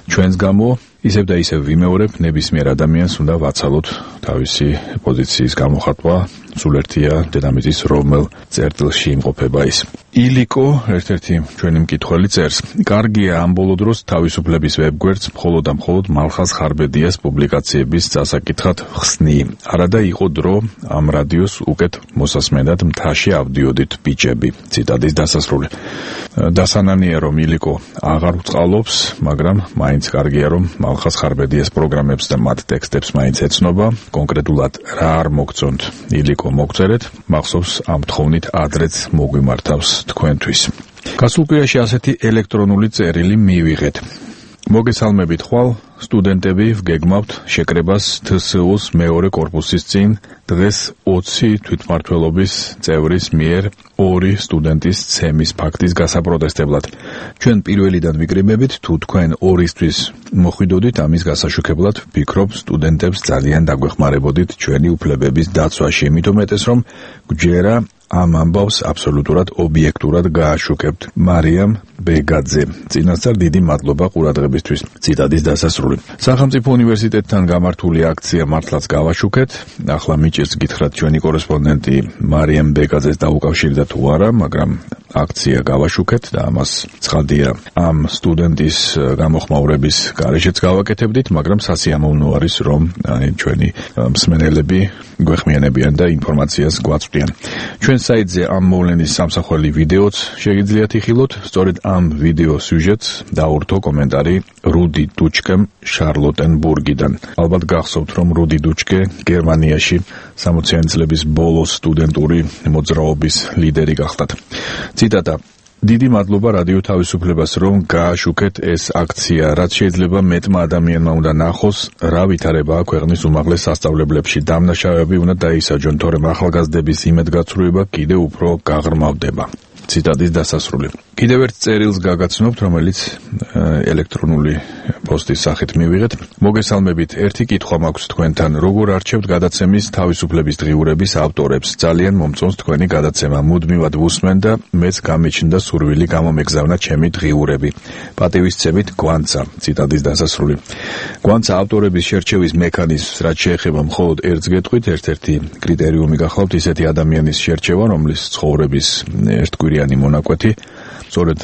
ჩვენს გამო, ისევ და ისევ ვიმეორებ, ნებისმიერ ადამიანს უნდა ვაცალოთ თავისი პოზიციის გამოხატვა, სულ ერთია დედამიწის რომელ წერტილში იმყოფება ის. ილიკო, ერთ-ერთი ჩვენი მკითხველი წერს, კარგია ამ ბოლო დროს თავისუფლების ვებგვერდს მხოლოდ და მხოლოდ მალხაზ ხარბედიას პუბლიკაციების წასაკითხად ხსნი. არადა იყო დრო ამ რადიოს უკეთ მოსასმენად მთაში ავდიოდით ბიჭები. ციტატის დასასრული. დასანანია რომ ილიკო აღარ ვწყალობს, მაგრამ მაინც კარგია რომ მალხაზ ხარბედიას პროგრამებს და მათ ტექსტებს მაინც ეცნობა. კონკრეტულად რა არ მოგწონთ ილიკო მოგწერეთ, მახსოვს ამ თხოვნით ადრეც მოგვიმართავს თქვენთვის. გასულ კვირაში ასეთი ელექტრონული წერილი მივიღეთ. მოგესალმებით ხვალ, სტუდენტები, ვგეგმავთ შეკრებას თსუ-ს მეორე კორპუსის წინ დღეს 20 თვითმმართველობის წევრის მიერ 2 სტუდენტის ცემის ფაქტის გასაპროტესტებლად. ჩვენ პირველიდან ვიკრიბებით, თუ თქვენ 2-ისთვის მოხვიდოდით ამის გასაშუქებლად, ვფიქრობ სტუდენტებს ძალიან დაგვეხმარებოდით ჩვენი უფლებების დაცვაში, მით უმეტეს რომ გვჯერა ამ ამბავს აბსოლუტურად ობიექტურად გააშუქებთ. მარიამ ბეგაძე. წინასწარ დიდი მადლობა ყურადღებისთვის. ციტატის დასასრული. სახელმწიფო უნივერსიტეტთან გამართული აქცია მართლაც გავაშუქეთ. ახლა მიჭირს გითხრათ ჩვენი კორესპონდენტი მარიამ ბეგაძეს დაუკავშირდა თუ არა, მაგრამ აქცია გავაშუქეთ და ამას ცხადია ამ სტუდენტის გამოხმაურების გარეშეც გავაკეთებდით, მაგრამ სასიამოვნო არის რომ ჩვენი მსმენელები გვეხმიანებიან და ინფორმაციას გვაწვდიან. ჩვენ საიტზე ამ მოვლენის სამსახველი ვიდეოც შეგიძლიათ იხილოთ, სწორედ ამ ვიდეო სიუჟეტს დაურთო კომენტარი რუდი დუჩკემ შარლოტენბურგიდან. ალბათ გახსოვთ, რომ რუდი დუჩკე გერმანიაში 60-იანი წლების ბოლოს სტუდენტური მოძრაობის ლიდერი გახდათ. ციტატა: დიდი მადლობა რადიო თავისუფლებას, რომ გააშუქეთ ეს აქცია, რაც შეიძლება მეტმა ადამიანმა უნდა ნახოს, რა ვითარებაა ქვეყნის უმაღლეს სასწავლებლებში. დამნაშავეები უნდა დაისაჯონ, თორემ ახალგაზრდების იმედგაცრუება კიდევ უფრო გაღრმავდება. ციტატის დასასრული. კიდევ ერთ წერილს გაგაცნობთ, რომელიც ელექტრონული პოსტის სახით მივიღეთ. მოგესალმებით, ერთი კითხვა მაქვს თქვენთან. როგორ არჩევთ გადაცემის თავისუფლების დღიურების ავტორებს? ძალიან მომწონს თქვენი გადაცემა. მუდმივად ვუსმენ და მეც გამიჩნდა სურვილი გამომეგზავნა ჩემი დღიურები. პატივისცემით, გვანცა. ციტატის დასასრული. გვანცა ავტორების შერჩევის მექანიზმს, რაც შეეხება მხოლოდ ერთს გეტყვით, ერთ-ერთი კრიტერიუმი გახლავთ ისეთი ადამიანის შერჩევა, რომლის ცხოვრების ერთკვირიანი მონაკვეთი სწორედ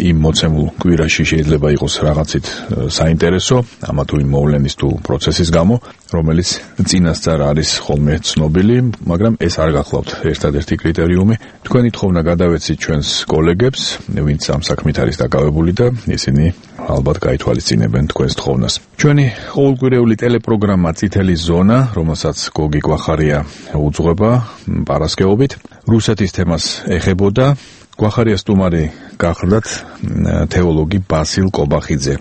იმ მოცემულ კვირაში შეიძლება იყოს რაღაცით საინტერესო, ამა თუ იმ მოვლენის თუ პროცესის გამო, რომელიც წინასწარ არის ხოლმე ცნობილი, მაგრამ ეს არ გახლავთ ერთადერთი კრიტერიუმი. თქვენი თხოვნა გადავეცით ჩვენს კოლეგებს, ვინც ამ საქმით არის დაკავებული და ისინი ალბათ გაითვალისწინებენ თქვენს თხოვნას. ჩვენი ყოველკვირეული ტელეპროგრამა წითელი ზონა, რომელსაც გოგი კვახარია უძღვება პარასკევობით, რუსეთის თემას ეხებოდა. გვახარია სტუმარი გახლდათ თეოლოგი ბასილ კობახიძე.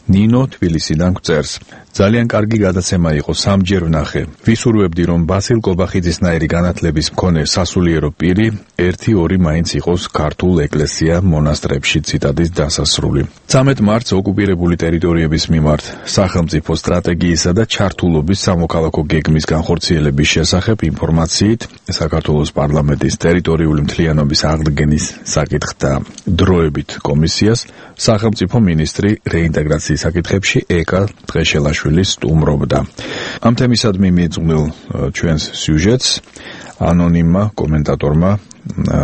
ნინო თბილისიდან გვწერს. ძალიან კარგი გადაცემა იყო, სამჯერ ვნახე. ვისურვებდი, რომ ბასილ კობახიძისნაირი განათლების მქონე სასულიერო პირი 1-2 მაინც იყოს ქართულ ეკლესია მონასტრებში. ციტატის დასასრული. 13 მარტს ოკუპირებული ტერიტორიების მიმართ სახელმწიფო სტრატეგიისა და ჩართულობის სამოქალაქო გეგმის განხორციელების შესახებ ინფორმაციით საქართველოს პარლამენტის ტერიტორიული მთლიანობის აღდგენის საკითხთა დროებით კომისიას სახელმწიფო მინისტრი რეინტეგრაციის საკითხებში ეკა დღეშელაშვილი სტუმრობდა. ამ თემისადმი მიეძღვნილ ჩვენს სიუჟეტს ანონიმმა კომენტატორმა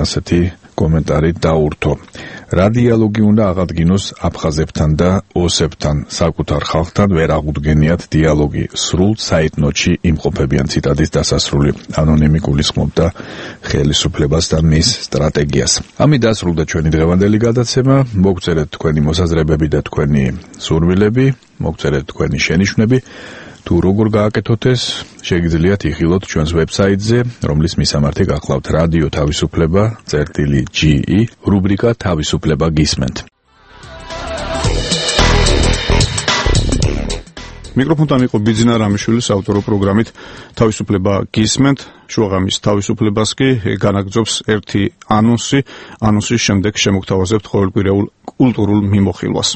ასეთი კომენტარი დაურთო. რა დიალოგი უნდა აღადგინოს აფხაზებთან და ოსებთან, საკუთარ ხალხთან ვერ აღუდგენიათ დიალოგი, სრულ საიტნოტში იმყოფებიან. ციტატის დასასრული. ანონიმი გულისხმობდა ხელისუფლებას და მის სტრატეგიას. ამით დასრულდა ჩვენი დღევანდელი გადაცემა. მოგწერეთ თქვენი მოსაზრებები და თქვენი სურვილები, მოგწერეთ თქვენი შენიშვნები. თუ როგორ გააკეთოთ ეს, შეგიძლიათ იხილოთ ჩვენს ვებსაიტზე, რომლის მისამართი გახლავთ რადიო თავისუფლება.ge, რუბრიკა თავისუფლება გისმენთ. მიკროფონთან იყო ბიძინა რამიშვილის ავტორო პროგრამით თავისუფლება გისმენთ. შუაღამის თავისუფლებას კი განაგრძობს ერთი ანონსი. ანონსის შემდეგ შემოგთავაზებთ ყოველკვირეულ კულტურულ მიმოხილვას.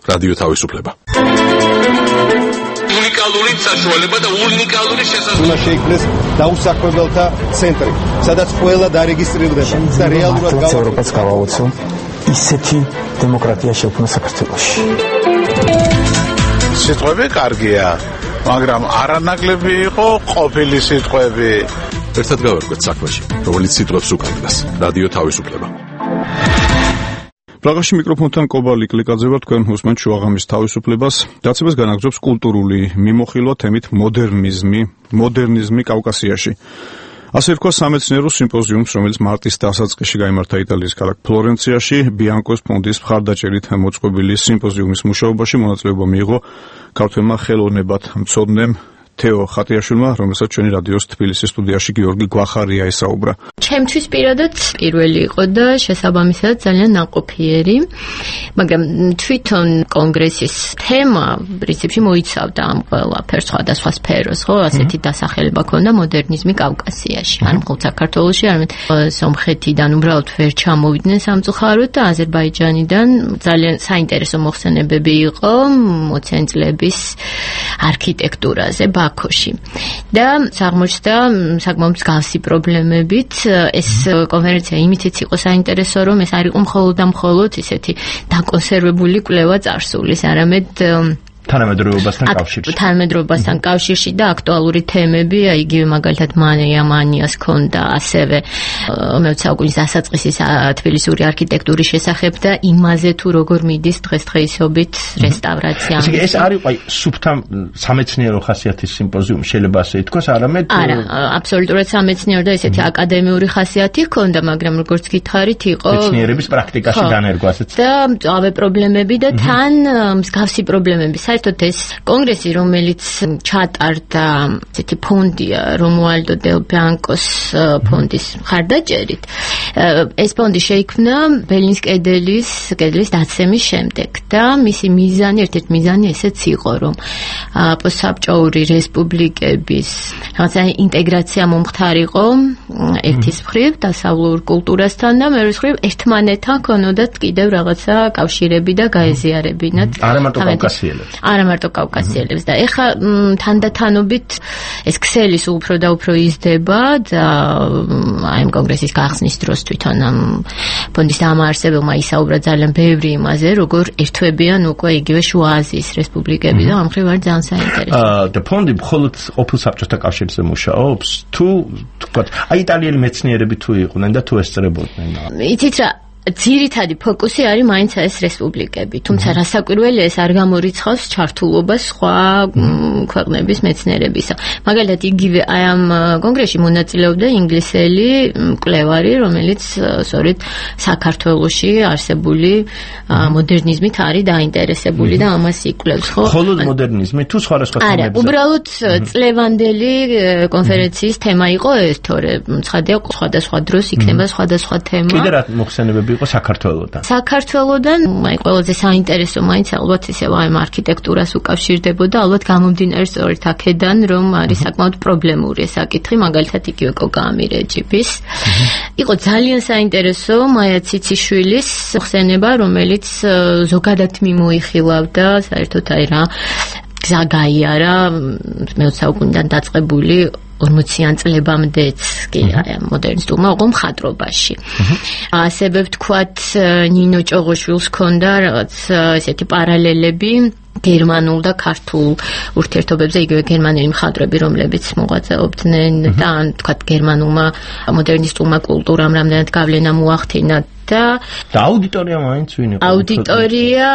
რადიო თავისუფლება. უნიკალური საშუალება და უნიკალური შესაძლებლობა. უნდა შეიქმნეს დაუსაქმებელთა ცენტრი, სადაც ყველა დარეგისტრირდება და რეალურად ევროპას გავაოცო ისეთი დემოკრატია შექმნა საქართველოში. სიტყვები კარგია, მაგრამ არანაკლები იყო ყოფილი სიტყვები. ერთად გავერკვეთ საქმეში, რომელიც სიტყვებს უკავშირდება. რადიო თავისუფლება. პრაღაში მიკროფონთან კობალი კლიკაძე ვარ, თქვენ უსმენთ შუაღამის თავისუფლებას. დაცემას განაგრძობს კულტურული მიმოხილვა თემით მოდერნიზმი კავკასიაში. ასე რქვა სამეცნიერო სიმპოზიუმს, რომელიც მარტის დასაწყისში გაიმართა იტალიის ქალაქ ფლორენციაში, ბიანკოს ფონდის მხარდაჭერით მოწყობილი სიმპოზიუმის მუშაობაში მონაწილეობა მიიღო ქართველმა ხელოვნებად მცოდნემ თეო ხატიაშვილმა, რომელსაც ჩვენი რადიოს თბილისის სტუდიაში გიორგი გვახარია ესაუბრა. ჩემთვის პირადად პირველი იყო და შესაბამისად ძალიან ნაყოფიერი, მაგრამ თვითონ კონგრესის თემა პრინციპში მოიცავდა ამ ყველაფერს, სხვადასხვა სფეროს, ხო, ასეთი დასახელება ქონდა მოდერნიზმი კავკასიაში, არ მხოლოდ საქართველოში, არამედ სომხეთიდან უბრალოდ ვერ ჩამოვიდნენ სამწუხაროდ და აზერბაიჯანიდან ძალიან საინტერესო მოხსენებები იყო მოცენწლების არქიტექტურაზე ბაქოში. და აღმოჩნდა საკმაოდ მსგავსი პრობლემებით. ეს კონფერენცია იმითიც იყო საინტერესო, რომ ეს არ იყო მხოლოდ ისეთი დაკონსერვებული კვლევა წარსულის, არამედ თანამედროვეობასთან კავშირში და აქტუალური თემები, იგივე მაგალითად მანიას ქონდა ასევე მე-20 საუკუნის დასაწყისის თბილისური არქიტექტურის შესახებ და იმაზე თუ როგორ მიდის დღესდღეობით რესტავრაცია. ეს არ იყო სუფთა სამეცნიერო ხასიათის სიმპოზიუმი, შეიძლება ასე ითქვას, არამედ არა, აბსოლუტურად სამეცნიერო და ესეთი აკადემიური ხასიათი ჰქონდა, მაგრამ როგორც გითხარით, იყო მეცნიერების პრაქტიკაში განერგვა ასეც და მწვავე პრობლემები და თან მსგავსი პრობლემები. საერთოდ ეს კონგრესი, რომელიც ჩატარდა ესეთი ფონდია რომუალდო დელ ბიანკოს ფონდის მხარდაჭერით, ეს ფონდი შეიქმნა ბერლინის კედლის დაცემის შემდეგ და მისი მიზანი, ერთ-ერთი მიზანი ესეც იყო, რომ პოსტსაბჭოური რესპუბლიკების რაღაცა ინტეგრაცია მომხდარიყო ერთის მხრივ დასავლურ კულტურასთან და მეორის მხრივ ერთმანეთთან ქონოდათ კიდევ რაღაცა კავშირები და გაეზიარებინათ არა მარტო კავკასიელებს და ეხლა თანდათანობით ეს ქსელი სულ უფრო და უფრო იზრდება და აი ამ კონგრესის გახსნის დროს თვითონ ამ ფონდის დამაარსებელმა ისაუბრა ძალიან ბევრი იმაზე, როგორ ერთვებიან უკვე იგივე შუა აზიის რესპუბლიკები და ამ მხრივ არის ძალიან საინტერესო. და ფონდი მხოლოდ ყოფილ საბჭოთა კავშირზე მუშაობს თუ თქვა აი იტალიელი მეცნიერები თუ იყვნენ და თუ ესწრებოდნენ. იცით რა ძირითადი ფოკუსი არის მაინც ეს რესპუბლიკები, თუმცა რასაკვირველია ეს არ გამორიცხავს ჩართულობას სხვა ქვეყნების მეცნიერებისა. მაგალითად იგივე აი ამ კონგრესში მონაწილეობდა ინგლისელი მკვლევარი, რომელიც სწორედ საქართველოში არსებული მოდერნიზმით არის დაინტერესებული და ამას იკვლევს, ხო? მხოლოდ მოდერნიზმი თუ სხვადასხვა თემებზე? არა, უბრალოდ წლევანდელი კონფერენციის თემა იყო ეს, თორემ ცხადია სხვადასხვა დროს იქნება სხვადასხვა თემა. კიდე რა მოხსენებები იყო საქართველოდან? საქართველოდან, აი ყველაზე საინტერესო მაინც ალბათ ისევ აი არქიტექტურას უკავშირდებოდა, ალბათ გამომდინარე სწორედ აქედან, რომ არის საკმაოდ პრობლემური ეს საკითხი, მაგალითად იგივე კოკა ამირეჯიბის. იყო ძალიან საინტერესო მაია ციციშვილის ხსენება, რომელიც ზოგადად მიმოიხილავდა საერთოდ აი რა გზა გაიარა მე-20 საუკუნიდან დაწყებული 40-იან წლებამდეც კი მოდერნისტულმა უკვე მხატვრობაში. ასევე ვთქვათ ნინო ჭოღოშვილს ჰქონდა რაღაც ესეთი პარალელები გერმანულ და ქართულ ურთიერთობებზე, იგივე გერმანელი მხატვრები, რომლებიც მოღვაწეობდნენ და ან ვთქვათ გერმანულმა მოდერნისტულმა კულტურამ რამდენად გავლენა მოახდინა და აუდიტორია მაინც ვინ იყო? აუდიტორია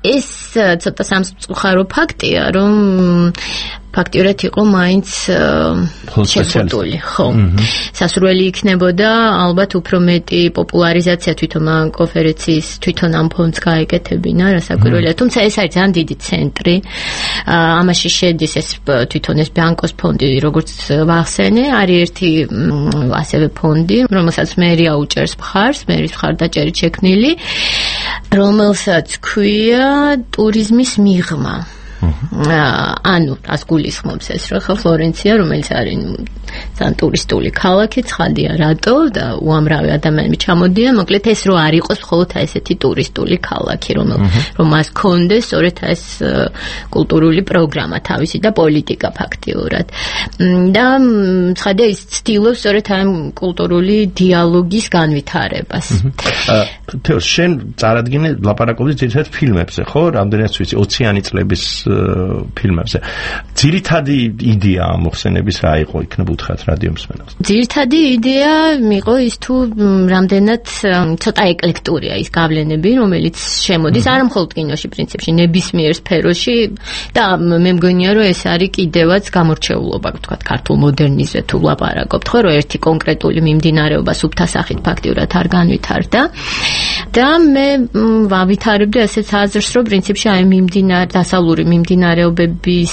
ეს ცოტა სამწუხარო ფაქტია, რომ ფაქტიურად იყო მაინც შეფუთული, ხო. სასურველი იქნებოდა ალბათ უფრო მეტი პოპულარიზაცია თვითონ ამ კონფერენციის, თვითონ ამ ფონდს გაეკეთებინა, რასაკვირველია, თუმცა ეს არის ძალიან დიდი ცენტრი. ამაში შედის ეს თვითონ ეს ბიანკოს ფონდი, როგორც ვახსენე, არის ერთი ასევე ფონდი, რომელსაც მერია უჭერს მხარს, მერის მხარდაჭერით შექმნილი, რომელსაც ქვია ტურიზმის მიღმა. ანუ ას გულისხმობს ეს რა ხო ფლორენცია, რომელიც არის ძალიან ტურისტული ქალაქი, ცხადია რატო და უამრავი ადამიანი ჩამოდიან, მოკლედ ეს რო არ იყოს მხოლოდ ესეთი ტურისტული ქალაქი, რომ მას კონდეს სწორედ ეს კულტურული პროგრამა თავისი და პოლიტიკა ფაქტიურად. და ცხადია ის ცდილობს სწორედ ამ კულტურული დიალოგის განვითარებას. თეო, შენ წარადგინე ლაპარაკობდი ძირითადად ფილმებზე, ხო? რამდენიც ვიცი 20-იანი წლების ფილმებზე. ძირითადი იდეა ამ მოხსენების რა იყო, იქნებ უთხრათ რადიო მსმენელს? ძირითადი იდეა იყო ის თუ რამდენად ცოტა ეკლექტურია ის გავლენები, რომელიც შემოდის არა მხოლოდ კინოში, პრინციპში, ნებისმიერ სფეროში და მე მგონია რომ ეს არის კიდევაც გამორჩეულობა, ვთქვათ, ქართულ მოდერნიზმზე თუ ვლაპარაკობთ, ხო, რომ ერთი კონკრეტული მიმდინარეობა სუფთა სახით ფაქტიურად არ განვითარდა. და მე ვითარებდი ასეთ აზრს, რომ პრინციპში აი დასავლური მიმდინარეობების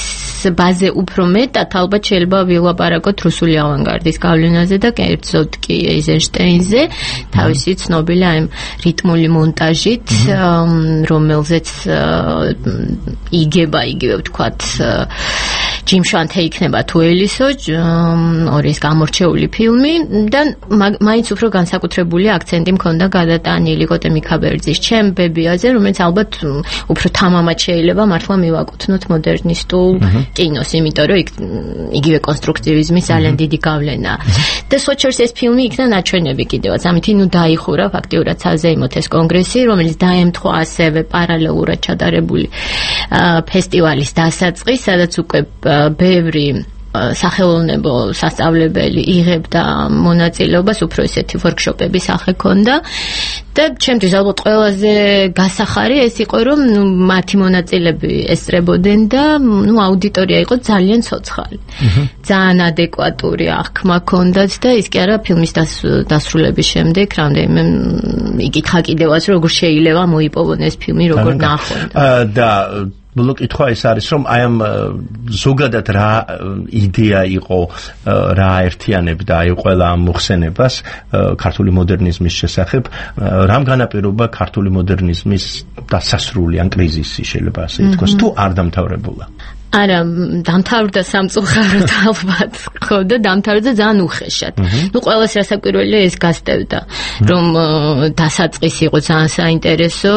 ბაზე უფრო მეტად ალბათ შეიძლება ვილაპარაკოთ რუსული ავანგარდის გავლენაზე და კერძოდ კი ეიზენშტეინზე, თავისი ცნობილი აი რიტმული მონტაჟით, რომელზეც იგება იგივე ვთქვათ ჯიმ შვანთე იქნება თუ ელისო, ორი ეს გამორჩეული ფილმი და მაინც უფრო განსაკუთრებული აქცენტი მქონდა გადატანილი კოტე მიქაბერძის ჩემ ბებიაზე, რომელიც ალბათ უფრო თამამად შეიძლება მართლა მივაკუთვნოთ მოდერნისტულ კინოს, იმიტომ რომ იგივე კონსტრუქტივიზმის ძალიან დიდი გავლენა. და სოჩერს ეს ფილმი იქნა ნაჩვენები კიდევაც, ამით ნუ დაიხურა ფაქტიურად საზეიმოთ ეს კონგრესი, რომელიც დაემთხვა ასევე პარალელურად ჩატარებული ფესტივალის დასაწყის, სადაც უკვე ბევრი სახელოვნებო სასწავლებელი იღებდა მონაწილეობას, უფრო ესეთი ვორქშოპები სახე ქონდა და ჩემთვის ალბათ ყველაზე გასახარი ეს იყო, რომ მათი მონაწილეები ესწრებოდნენ და აუდიტორია იყო ძალიან ცოცხალი. ძალიან ადეკვატური აღქმა ქონდათ და ის კი არა ფილმის დასრულების შემდეგ რამდენიმე იკითხა კიდევაც, როგორ შეიძლება მოიპოვონ ეს ფილმი, როგორ ნახონ. და ბოლო კითხვა ის არის, რომ აი ამ ზოგადად რა იდეა იყო, რა აერთიანებდა აი ყველა ამ მოხსენებას ქართული მოდერნიზმის შესახებ, რამ განაპირობა ქართული მოდერნიზმის დასასრული ან კრიზისი შეიძლება ასე ითქვას, თუ არ დამთავრებულა? არა, დამთავრდა სამწუხაროდ ალბათ, ხო და დამთავრდა ძალიან უხეშად. ყველას რასაკვირველია ეს გასტევდა, რომ დასაწყისი იყო ძალიან საინტერესო,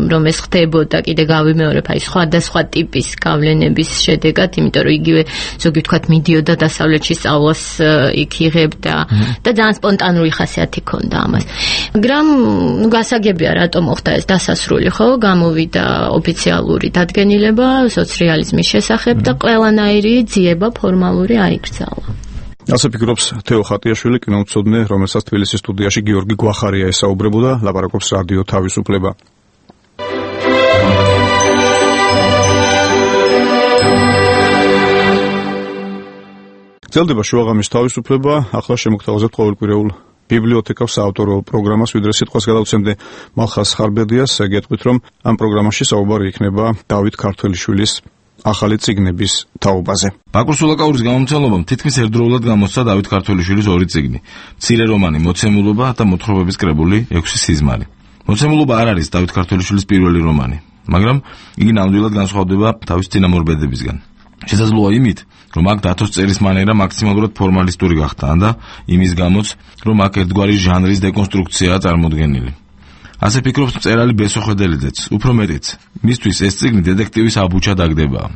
რომ ეს ხდებოდა, კიდე გავიმეორებ, აი სხვადასხვა ტიპის გავლენების შედეგად, იმიტომ რომ იგივე ზოგი ვთქვათ მიდიოდა დასავლეთში სწავლას იქ იღებდა და ძალიან სპონტანური ხასიათი ჰქონდა ამას. მაგრამ გასაგებია რატომ მოხდა ეს დასასრული, ხო? გამოვიდა ოფიციალური დადგენილება სოციალიზმის შესახებ და ყველანაირი ძიება ფორმალური აიკრძალა. ასე ფიქრობს თეო ხატიაშვილი, კინომცოდნე, რომელსაც თბილისის სტუდიაში გიორგი გვახარია ესაუბრებოდა, ლაპარაკობს რადიო თავისუფლება. გრძელდება შუაღამის თავისუფლება, ახლა შემოგთავაზებთ ყოველკვირეულ ბიბლიოთეკას საავტორო პროგრამას, ვიდრე სიტყვას გადავცემდე მალხაზ ხარბედიას, გეტყვით, რომ ამ პროგრამაში საუბარი იქნება დავით ქართველიშვილის ახალი წიგნების თაობაზე. ბაკურ სულაკაურის გამომცემლობამ თითქმის ერთდროულად გამოსცა დავით ქართველიშვილის ორი წიგნი: მცირე რომანი „მოცემულობა“ და მოთხრობების კრებული „6 სიზმარი“. მოცემულობა არ არის დავით ქართველიშვილის პირველი რომანი, მაგრამ იგი ნამდვილად განსხვავდება თავის წინამორბედებისგან. შესაძლოა იმით, რომ აქ დათოს წერის მანერა მაქსიმალურად ფორმალისტური გახდა და იმის გამოც, რომ აქ ერთგვარი ჟანრის დეკონსტრუქციაა წარმოდგენილი. ასე ფიქრობს მწერალი ბესო ხედელიძეც, უფრო მეტიც, მისთვის ეს წიგნი დეტექტივის აბუჩა დაგდებაა.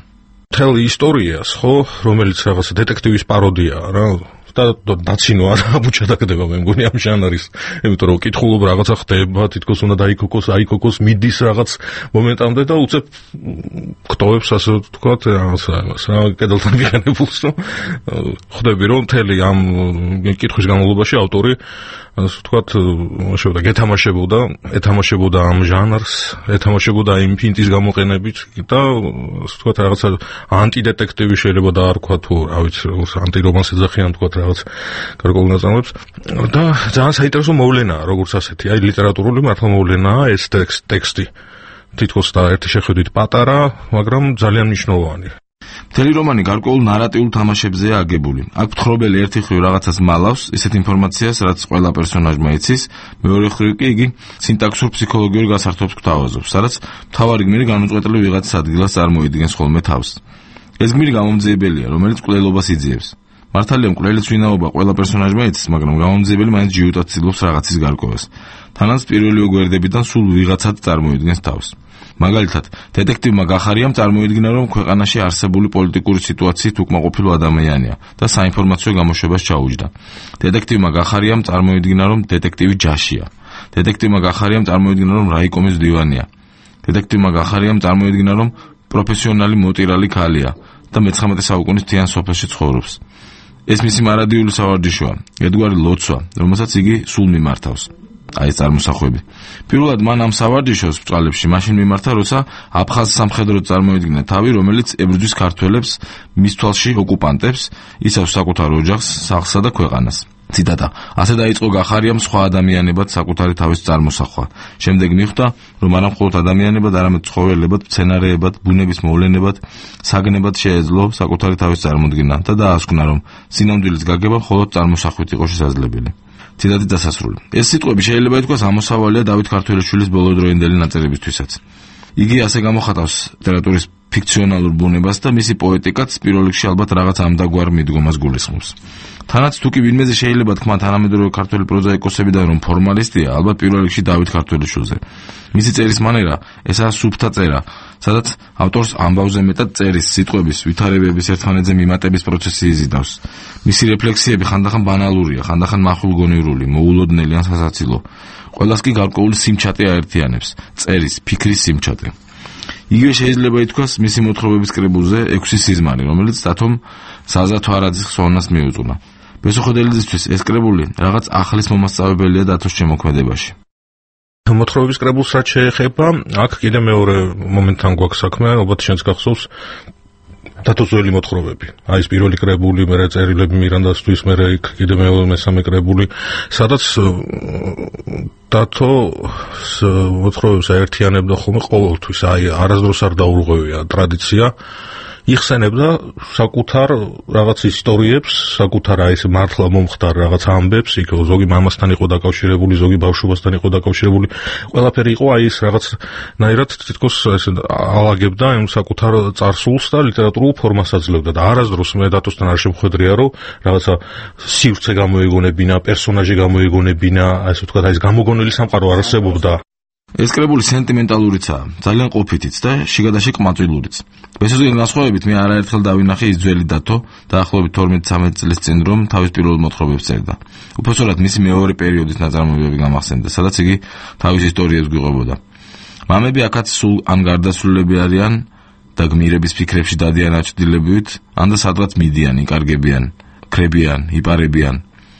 მთელი ისტორიას, ხო, რომელიც რაღაც დეტექტივის პაროდიაა რა, და დაცინო არ აბუჩა დაგდება მე მგონი ამ ჟანრის, იმიტომ რომ კითხულობ რაღაცა ხდება, თითქოს უნდა დაიქოკოს, მიდის რაღაც მომენტამდე და უცებ გტოვებს ასე ვთქვათ რაღაცა რა კედელთან მიღებულს, რომ ხვდები რომ მთელი ამ კითხვის განმავლობაში ავტორი ასე ვთქვათ, შეუდა ეთამაშებოდა ამ ჟანრს, ეთამაშებოდა იმ ფინტის გამოყენებით და ასე ვთქვათ რაღაცა ანტიდეტექტივი შეიძლება დაარქვა თუ რა ვიცი, ანტირომანს ეძახიან ვთქვათ რაღაც გარკვეულ ნაწარმოებს და ძალიან საინტერესო მოვლენაა როგორც ასეთი, აი ლიტერატურული მართლა მოვლენაა ეს ტექსტი. თითქოს და ერთი შეხედვით პატარა, მაგრამ ძალიან მნიშვნელოვანი. მთელი რომანი გარკვეულ ნარატიულ თამაშებზეა აგებული. აქ მთხრობელი ერთი მხრივ რაღაცას მალავს, ისეთ ინფორმაციას, რაც ყველა პერსონაჟმა იცის, მეორე მხრივ კი იგი სინტაქსურ ფსიქოლოგიურ გასართობს გვთავაზობს, სადაც მთავარი გმირი განუწყვეტლივ ვიღაცის ადგილას წარმოიდგენს ხოლმე თავს. ეს გმირი გამომძიებელია, რომელიც მკვლელობას იძიებს. მართალია მკვლელის ვინაობა ყველა პერსონაჟმა იცის, მაგრამ გამომძიებელი მაინც ჯიუტად ცდილობს რაღაცის გარკვევას. თანაც პირველი ოგვერდებიდან სულ ვიღაცად წარმოიდგენს თავს. მაგალითად, დეტექტივმა გახარიამ წარმოიდგინა, რომ ქვეყანაში არსებული პოლიტიკური სიტუაციით უკმაყოფილო ადამიანია და საინფორმაციო გამოშვებას ჩაუჯდა. დეტექტივმა გახარიამ წარმოიდგინა, რომ დეტექტივი ჯაშია. დეტექტივმა გახარიამ წარმოიდგინა, რომ რაიკომის მდივანია. დეტექტივმა გახარიამ წარმოიდგინა, რომ პროფესიონალი მოტირალი ქალია და მე-19 საუკუნის მთიან სოფელში ცხოვრობს. ეს მისი მარადიული სავარჯიშოა, ერთგვარი ლოცვა, რომელსაც იგი სულ მიმართავს. აი ეს წარმოსახვები. პირველად მან ამ სავარჯიშოს ბრძოლებში მაშინ მიმართა, როცა აფხაზ სამხედრო წარმოედგინა თავი, რომელიც ებრძვის ქართველებს, მის თვალში ოკუპანტებს, ისევ საკუთარ ოჯახს, სახლსა და ქვეყანას. ციტატა: ასე დაიწყო გახარიამ სხვა ადამიანებად საკუთარი თავის წარმოსახვა. შემდეგ მიხვდა, რომ არა მხოლოდ ადამიანებად, არამედ ცხოველებად, მცენარეებად, ბუნების მოვლენებად, საგნებად შეეძლო საკუთარი თავის წარმოდგენა და დაასკვნა, რომ სინამდვილის გაგება მხოლოდ წარმოსახვით იყო შესაძლებელი. ციტატის დასასრული. ეს სიტყვები შეიძლება ითქვას ამოსავალია დავით ქართველიშვილის ბოლოდროინდელი ნაწერებისთვისაც. იგი ასე გამოხატავს ლიტერატურის ფიქციონალურ ბუნებას და მისი პოეტიკაც პირველ რიგში ალბათ რაღაც ამდაგვარ მიდგომას გულისხმობს. თანაც თუ კი ვინმეზე შეიძლება თქვა თანამედროვე ქართველი პროზაიკოსებიდან რომ ფორმალისტია, ალბათ პირველ რიგში დავით ქართველიშვილზე. მისი წერის მანერა ესაა სუფთა წერა, სადაც ავტორს ამბავზე მეტად წერის, სიტყვების, ვითარებების ერთმანეთზე მიმატების პროცესი იზიდავს. მისი რეფლექსიები ხანდახან ბანალურია, ხანდახან მახვილგონივრული, მოულოდნელი ან სასაცილო. ყველას კი გარკვეული სიმჩატე აერთიანებს, წერის, ფიქრის სიმჩატე. იგივე შეიძლება ითქვას მისი მოთხრობების კრებულზე 6 სიზმარი, რომელიც დათომ საზა თვარაძის ხსოვნას მიუძღვნა. ბესო ხედელიძისთვის ეს კრებული რაღაც ახლის მომასწავებელია დათოს შემოქმედებაში. მოთხრობების კრებულს რაც შეეხება, აქ კიდე მეორე მომენტთან გვაქვს საქმე, ალბათ შენც გახსოვს. დათოსველი მოთხრობები. აი ეს პირველი კრებული, მერე წერილები მირანდასთვის, მერე იქ კიდე მესამე კრებული, სადაც დათო მოთხრობებს აერთიანებდა ხოლმე ყოველთვის, აი არასდროს არ დაურღვევია ტრადიცია. იხსენებდა საკუთარ რაღაც ისტორიებს, საკუთარ აი ეს მართლა მომხდარ რაღაც ამბებს, იქ ზოგი მამასთან იყო დაკავშირებული, ზოგი ბავშვობასთან იყო დაკავშირებული, ყველაფერი იყო აი ეს რაღაც ნაირად თითქოს ესე ალაგებდა იმ საკუთარ წარსულს და ლიტერატურულ ფორმას აძლევდა და არასდროს მე დათოსთან არ შემხვედრია, რომ რაღაცა სივრცე გამოიგონებინა, პერსონაჟი გამოიგონებინა, ასე ვთქვათ, აი ეს გამოგონილი სამყარო არ არსებობდა. ეს კრებული სენტიმენტალურიცაა, ძალიან ყოფითიც და შიგადაშიგ ყმაწვილურიც. ბესოზგან განსხვავებით მე არაერთხელ დავინახე ის ძველი დათო, დაახლოებით 12-13 წლის წინ რომ თავის პირველ მოთხრობებს წერდა. უпростоრად მისი მეორე პერიოდის ნაწარმოებები გამახსენდა, სადაც იგი თავის ისტორიებს გვიყვებოდა. მამები აქაც სულ ან გარდაცვლილები არიან და გმირების ფიქრებში დადიან აჩვდილებებით, ან და სადღაც მიდიან, იკარგებიან, ქრებიან, იპარებიან.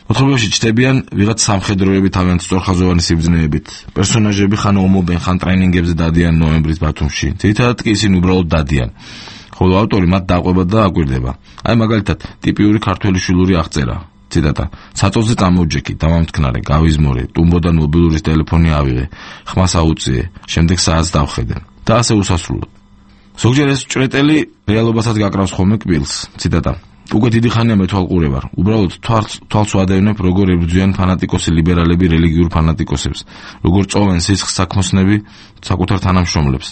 მოთხრობებში ჩნდებიან ვიღაც სამხედროები თავიანთ სწორხაზოვანი სიბრძნეებით. პერსონაჟები ხან ომობენ, ხან ტრენინგებზე დადიან ნოემბრის ბათუმში. ძირითადად კი ისინი უბრალოდ დადიან. ხოლო ავტორი მათ დაყვება და აკვირდება. აი მაგალითად, ტიპიური ქართველი შვილური აღწერა. ციტატა: "საწოლზე წამოვჯექი, დამამტკნარე, გავიზმორე, ტუმბოდან მობილურის ტელეფონი ავიღე, ხმას აუწიე, შემდეგ საათს დავხედე." და ასე უსასრულოდ. ზოგჯერ ეს ჭრეტელი რეალობასაც გაკრავს ხოლმე კბილს. ციტატა: "უკვე დიდი ხანია მეთვალყურე ვარ. უბრალოდ თვალს ვადევნებ, როგორ ებრძვიან ფანატიკოსი ლიბერალები რელიგიურ ფანატიკოსებს, როგორ წოვენ სისხლს საქმოსნები საკუთარ თანამშრომლებს,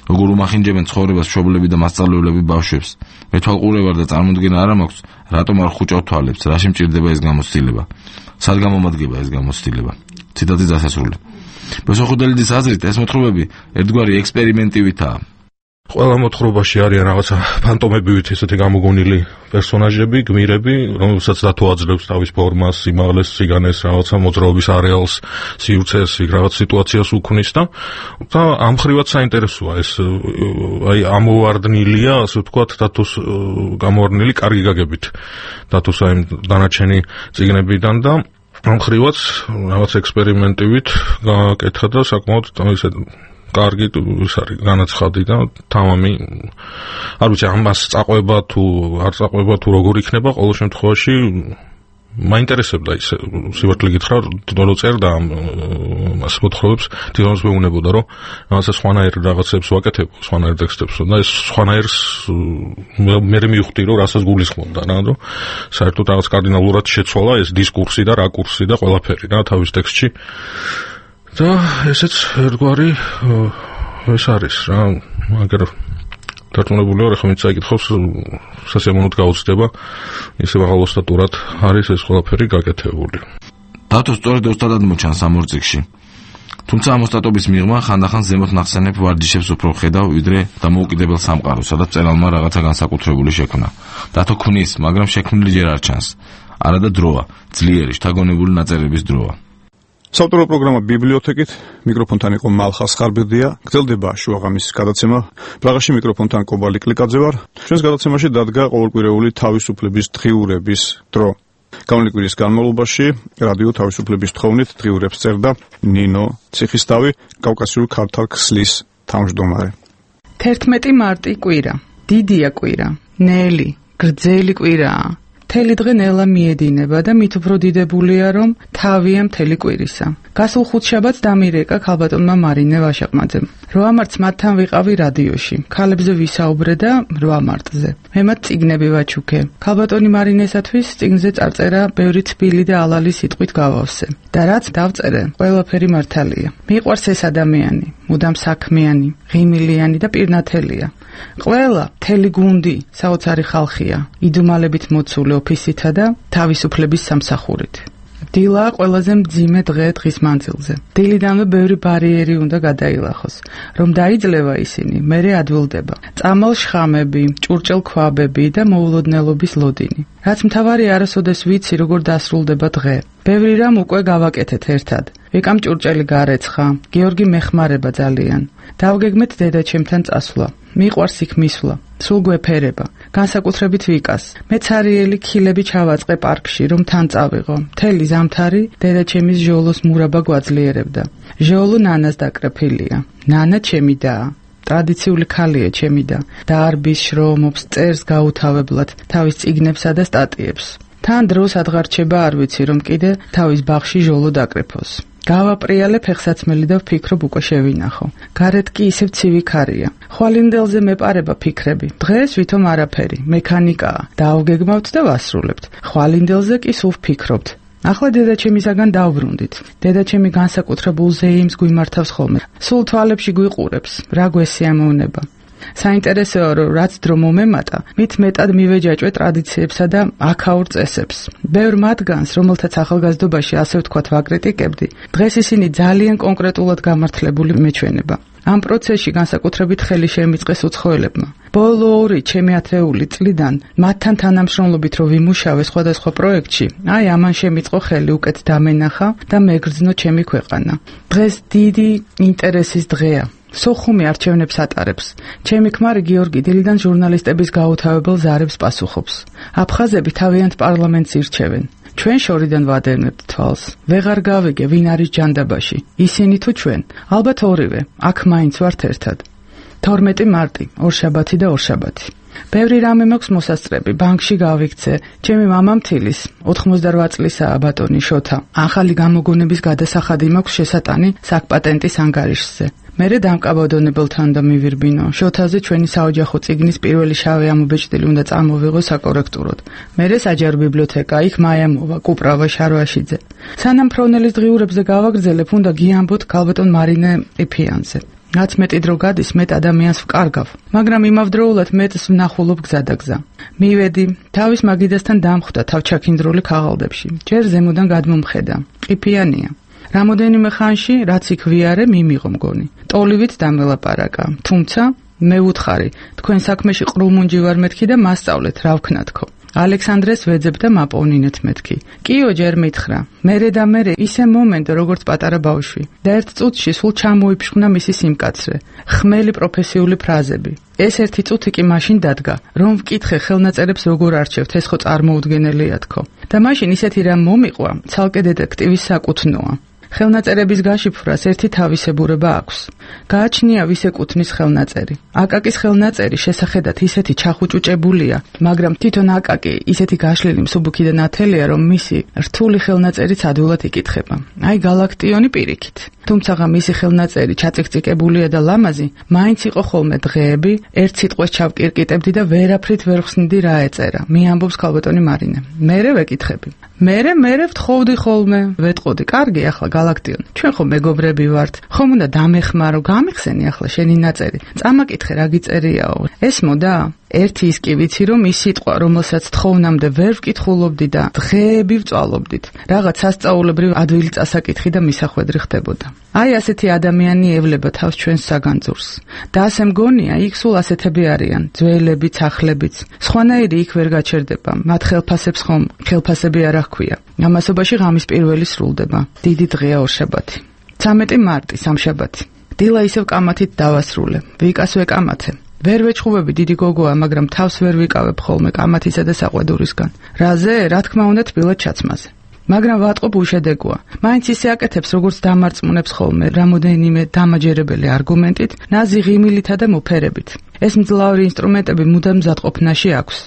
როგორ უმახინჯებენ ცხოვრებას მშობლები და მასწავლებლები ბავშვებს. მეთვალყურე ვარ და წარმოდგენა არ მაქვს, რატომ არ ხუჭავ თვალებს, რაში მჭირდება ეს გამოცდილება, სად გამომადგება ეს გამოცდილება." ციტატის დასასრული. ბესოხუდელიძის აზრით, ეს მოთხრობები ერთგვარი ექსპერიმენტივითაა. ყველა მოთხრობაში არიან რაღაცა ფანტომებივით ესეთი გამოგონილი პერსონაჟები, გმირები, რომელსაც დათო აძლევს თავის ფორმას, სიმაღლეს, სიგანეს, რაღაცა მოძრაობის არეალს, სივრცეს, რაღაც სიტუაციას უქმნის და ამ ხრივაც საინტერესოა ეს აი ამოვარდნილია, ასე ვთქვათ, დათოს გამოვარდნილი კარგი გაგებით. დათოს აი დანარჩენი წიგნებიდან და ამ ხრივაც რაღაც ექსპერიმენტივით გაკეთა და საკმაოდ ისე კარგი ის არის განაცხადი და თამამი არ ვიცი ამას წაყვება თუ არ წაყვება თუ როგორ იქნება, ყოველ შემთხვევაში მაინტერესებდა ის სივარკლი გითხრა რომ წერდა ამას მოთხრობებს, თვითონაც მეუნებოდა რომ რაღაცა სხვანაირ რაღაცებს ვაკეთებ, სხვანაირ ტექსტებს და ეს სხვანაირს მე მივხვდი რომ რასაც გულისხმობდა რა, რომ საერთოდ რაღაც კარდინალურად შეცვალა ეს დისკურსი და რაკურსი და ყველაფერი რა თავის ტექსტში. და ესეც ერთგვარი ეს არის რა, მაგრამ დარწმუნებული ვარ, ახლა ვინც წაიკითხავს, სასიამოვნოდ გაუცდება, ისე მაღალოსტატურად არის ეს ყველაფერი გაკეთებული. დათო სწორედ ოსტატად მოჩანს ამ ორ წიგნში. თუმცა ამ ოსტატობის მიღმა ხანდახან ზემოთ ნახსენებ ვარჯიშებს უფრო ხედავ, ვიდრე დამოუკიდებელ სამყაროს, სადაც წერალმა რაღაცა განსაკუთრებული შექმნა. დათო ქმნის, მაგრამ შექმნილი ჯერ არ ჩანს. არადა დროა, ძლიერი, შთაგონებული ნაწერების დროა. საავტორო პროგრამა ბიბლიოთეკით, მიკროფონთან იყო მალხას ხარბედია, გრძელდება შუაღამისის გადაცემა. პრაღაში მიკროფონთან კობალი კლიკაძე ვარ. ჩვენს გადაცემაში დადგა ყოველკვირეული თავისუფლების დღიურების დრო. გამონილი კვირის განმავლობაში რადიო თავისუფლების თხოვნით დღიურებს წერდა ნინო ციხისთავი, კავკასიური ქართალ ქსლის თავმჯდომარე. 11 მარტი კვირა, დიდია კვირა, ნელი, გრძელი კვირაა. მთელი დღე ნელა მიედინება და მით უფრო დიდებულია, რომ თავია მთელი კვირისა. გასულ ხუთშაბათს დამირეკა ქალბატონმა მარინე ვაშაყმაძემ. 8 მარტს მათთან ვიყავი რადიოში. ქალებზე ვისაუბრე და 8 მარტზე. მე მათ წიგნები ვაჩუქე. ქალბატონი მარინესათვის წიგნზე წარწერა ბევრი თბილი და ალალი სიტყვით გავავსე. და რაც დავწერე, ყველაფერი მართალია. მიყვარს ეს ადამიანი, მუდამ საქმიანი, ღიმილიანი და პირნათელია. ყველა მთელი გუნდი საოცარი ხალხია, იდუმალებით მოცული ოფისითა და თავისუფლების სამსახურით. დილა ყველაზე მძიმე დღე დღის მანძილზე. დილიდანვე ბევრი ბარიერი უნდა გადაილახოს, რომ დაიძლევა ისინი, მერე ადვილდება. წამალ შხამები, ჭურჭელ ქვაბები და მოულოდნელობის ლოდინი. რაც მთავარი არასოდეს ვიცი, როგორ დასრულდება დღე. ბევრი რამ უკვე გავაკეთეთ ერთად. ვიკამ ჭურჭელი გარეცხა, გიორგი მეხმარება ძალიან. დავგეგმეთ დედაჩემთან წასვლა. მიყვარს იქ მისვლა. სულ გვეფერება. განსაკუთრებით ვიკას. მე ცარიელი ქილები ჩავაწყე პარკში, რომ თან წავიღო. მთელი ზამთარი დედაჩემის ჟოლოს მურაბა გვაძლიერებდა. ჟოლო ნანას დაკრეფილია. ნანა ჩემი დაა. ტრადიციული ქალია ჩემი და დარბის, შრომობს, წერს გაუთავებლად თავის წიგნებსა და სტატიებს. თან დროს ადგარჩება არ ვიცი რომ კიდე თავის ბაღში ჟოლო დაკრეფოს. გავაპრიალე ფეხსაცმელი და ვფიქრობ უკვე შევინახო. გარეთ კი ისევ ცივი ქარია. ხვალინდელზე მეპარება ფიქრები. დღეს ვითომ არაფერი, მექანიკაა. დავგეგმავთ და ვასრულებთ. ხვალინდელზე კი სულ ვფიქრობთ. ახლა დედაჩემისაგან დავბრუნდით. დედაჩემი განსაკუთრებულ ზეიმს გვიმართავს ხოლმე. სულ თვალებში გვიყურებს, რა გვესიამოვნება. საინტერესოა რომ რაც დრო მომემატა, მით მეტად მივეჯაჭვე ტრადიციებსა და აქაურ წესებს. ბევრ მათგანს, რომელთაც ახალგაზრდობაში ასე ვთქვათ ვაკრიტიკებდი, დღეს ისინი ძალიან კონკრეტულად გამართლებული მეჩვენება. ამ პროცესში განსაკუთრებით ხელი შემიწყეს უცხოელებმა. ბოლო 2 ჩემი ათეული წლიდან მათთან თანამშრომლობით რომ ვიმუშავე სხვადასხვა პროექტში, აი ამან შემიწყო ხელი უკეთ დამენახა და მეგრძნო ჩემი ქვეყანა. დღეს დიდი ინტერესის დღეა. სოხუმი არჩევნებს ატარებს. ჩემი ქმარი გიორგი დილიდან ჟურნალისტების გაუთავებელ ზარებს პასუხობს. აფხაზები თავიანთ პარლამენტს ირჩევენ. ჩვენ შორიდან ვადევნებთ თვალს. ვეღარ გავიგე ვინ არის ჯანდაბაში. ისინი თუ ჩვენ? ალბათ ორივე. აქ მაინც ვართ ერთად. 12 მარტი, ორშაბათი და ორშაბათი. ბევრი რამე მაქვს მოსასწრები. ბანკში გავიქცე. ჩემი მამა მთილის 88 წლისაა ბატონი შოთა. ახალი გამოგონების გადასახადი მაქვს შესატანი საკპატენტის ანგარიშზე. მერე დამკაბადონებელთან და მივირბინო. შოთაზე ჩვენი საოჯახო წიგნის პირველი შავი ამობეჭდილი უნდა წამოვიღო საკორექტუროდ. მერე საჯარო ბიბლიოთეკა, იქ მაიამოვა, კუპრავა შარვაშიძე. სანამ ფრონელის დღიურებზე გავაგრძელებ, უნდა გიამბოთ ქალბატონ მარინე ყიფიანზე. რაც მეტი დრო გადის, მეტ ადამიანს ვკარგავ, მაგრამ იმავდროულად მეტს ვნახულობ გზადაგზა. მივედი, თავის მაგიდასთან დამხვდა თავჩაქინდრული ქაღალდებში. ჯერ ზემოდან გადმომხედა. ყიფიანია. რამოდენიმე ხანში, რაც იქ ვიარე, მიმიღო მგონი. ტოლივით დამელაპარაკა. თუმცა, მე ვუთხარი, თქვენ საქმეში ყრუმუნჯი ვარ მეთქი და მასწავლეთ, რა ვქნათქო. ალექსანდრეს ვეძებ და მაპოვნინეთ მეთქი. კიო ჯერ მითხრა. მერე და მერე ისე მომენტო, როგორც პატარა ბავშვი. და ერთ წუთში სულ ჩამოიფშხნა მისი სიმკაცრე. ხმელი პროფესიული ფრაზები. ეს ერთი წუთი კი მაშინ დადგა, რომ ვკითხე ხელნაწერებს როგორ არჩევთ, ეს ხო წარმოუდგენელია თქო. და მაშინ ისეთი რამ მომიყვა, ცალკე დეტექტივის საკუთნოა. ხელნაწერების გაშიფრვას ერთი თავისებურება აქვს. გააჩნია ვის ეკუთვნის ხელნაწერი. აკაკის ხელნაწერი შესახედად ისეთი ჩახუჭუჭებულია, მაგრამ თვითონ აკაკი ისეთი გაშლილი მსუბუქი და ნათელია, რომ მისი რთული ხელნაწერიც ადვილად იკითხება. აი გალაქტიონი პირიქით. თუმცა მისი ხელნაწერი ჩაწიკწიკებულია და ლამაზი, მაინც იყო ხოლმე დღეები, ერთ სიტყვას ჩავკირკიტებდი და ვერაფრით ვერ ხსნიდი რა ეწერა. მიამბობს ქალბატონი მარინე. მერე ვეკითხები. მერე ვთხოვდი ხოლმე, ვეტყოდი, კარგი ახლა გალაქტიონ, ჩვენ ხო მეგობრები ვართ, ხომ უნდა დამეხმარო, გამიხსენი ახლა შენი ნაწერი, წამაკითხე რა გიწერიაო, ესმოდა? ერთი ის კი ვიცი, რომ ის სიტყვა, რომელსაც თხოვნამდე ვერ ვკითხულობდი და დღეები ვწვალობდით, რაღაც სასწაულებრივ ადვილი წასაკითხი და მისახვედრი ხდებოდა. აი ასეთი ადამიანი ევლება თავს ჩვენს საგანძურს. და ასე მგონია, იქ სულ ასეთები არიან, ძველებიც, ახლებიც. სხვანაირი იქ ვერ გაჩერდება, მათ ხელფასებს ხომ ხელფასები არ აქვია. ამასობაში ღამის პირველი სრულდება. დიდი დღეა ორშაბათი. 13 მარტი, სამშაბათი. დილა ისევ კამათით დავასრულე. ვიკას ვეკამათე. ვერ ვეჩხუბები დიდი გოგოა, მაგრამ თავს ვერ ვიკავებ ხოლმე კამათისა და საყვედურისგან. რაზე? რა თქმა უნდა თბილად ჩაცმაზე. მაგრამ ვატყობ უშედეგოა. მაინც ისე აკეთებს, როგორც დამარწმუნებს ხოლმე რამოდენიმე დამაჯერებელი არგუმენტით, ნაზი ღიმილითა და მოფერებით. ეს მძლავრი ინსტრუმენტები მუდამ მზადყოფნაში აქვს.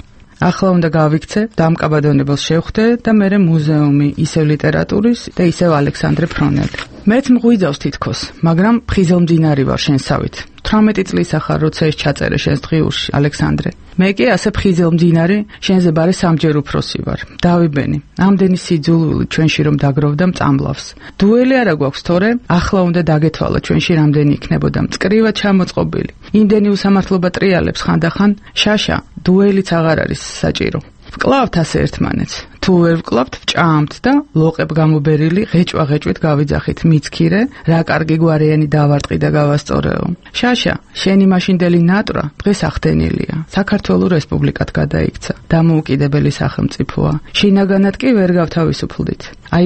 ახლა უნდა გავიქცე, დამკაბადონებელს შევხვდე და მერე მუზეუმი, ისევ ლიტერატურის და ისევ ალექსანდრე ფრონელი. მეც მღვიძავს თითქოს, მაგრამ ფხიზელმძინარი ვარ შენსავით. 18 წლისა ხარ, როცა ეს ჩაწერე შენს დღიურში, ალექსანდრე. მე კი ასე ფხიზელმძინარი, შენზე ბარე სამჯერ უფროსი ვარ. დავიბენი. ამდენი სიძულვილი ჩვენში რომ დაგროვდა მწამლავს. დუელი არა გვაქვს, თორე ახლა უნდა დაგეთვალა ჩვენში რამდენი იქნებოდა მწკრივად ჩამოწყობილი. იმდენი უსამართლობა ტრიალებს ხანდახან, შაშა, დუელიც აღარ არის საჭირო. ვკლავთ ასე ერთმანეთს. თუ ვერ ვკლავთ, ვჭამთ და ლოყებ გამობერილი ღეჭვა-ღეჭვით გავიძახით მიცქირე, რა კარგი გვარიანი დავარტყი და გავასწორეო. შაშა, შენი მაშინდელი ნატრა დღეს ახდენილია. საქართველოს რესპუბლიკად გადაიქცა. დამოუკიდებელი სახელმწიფოა. შინაგანად კი ვერ გავთავისუფლდით. აი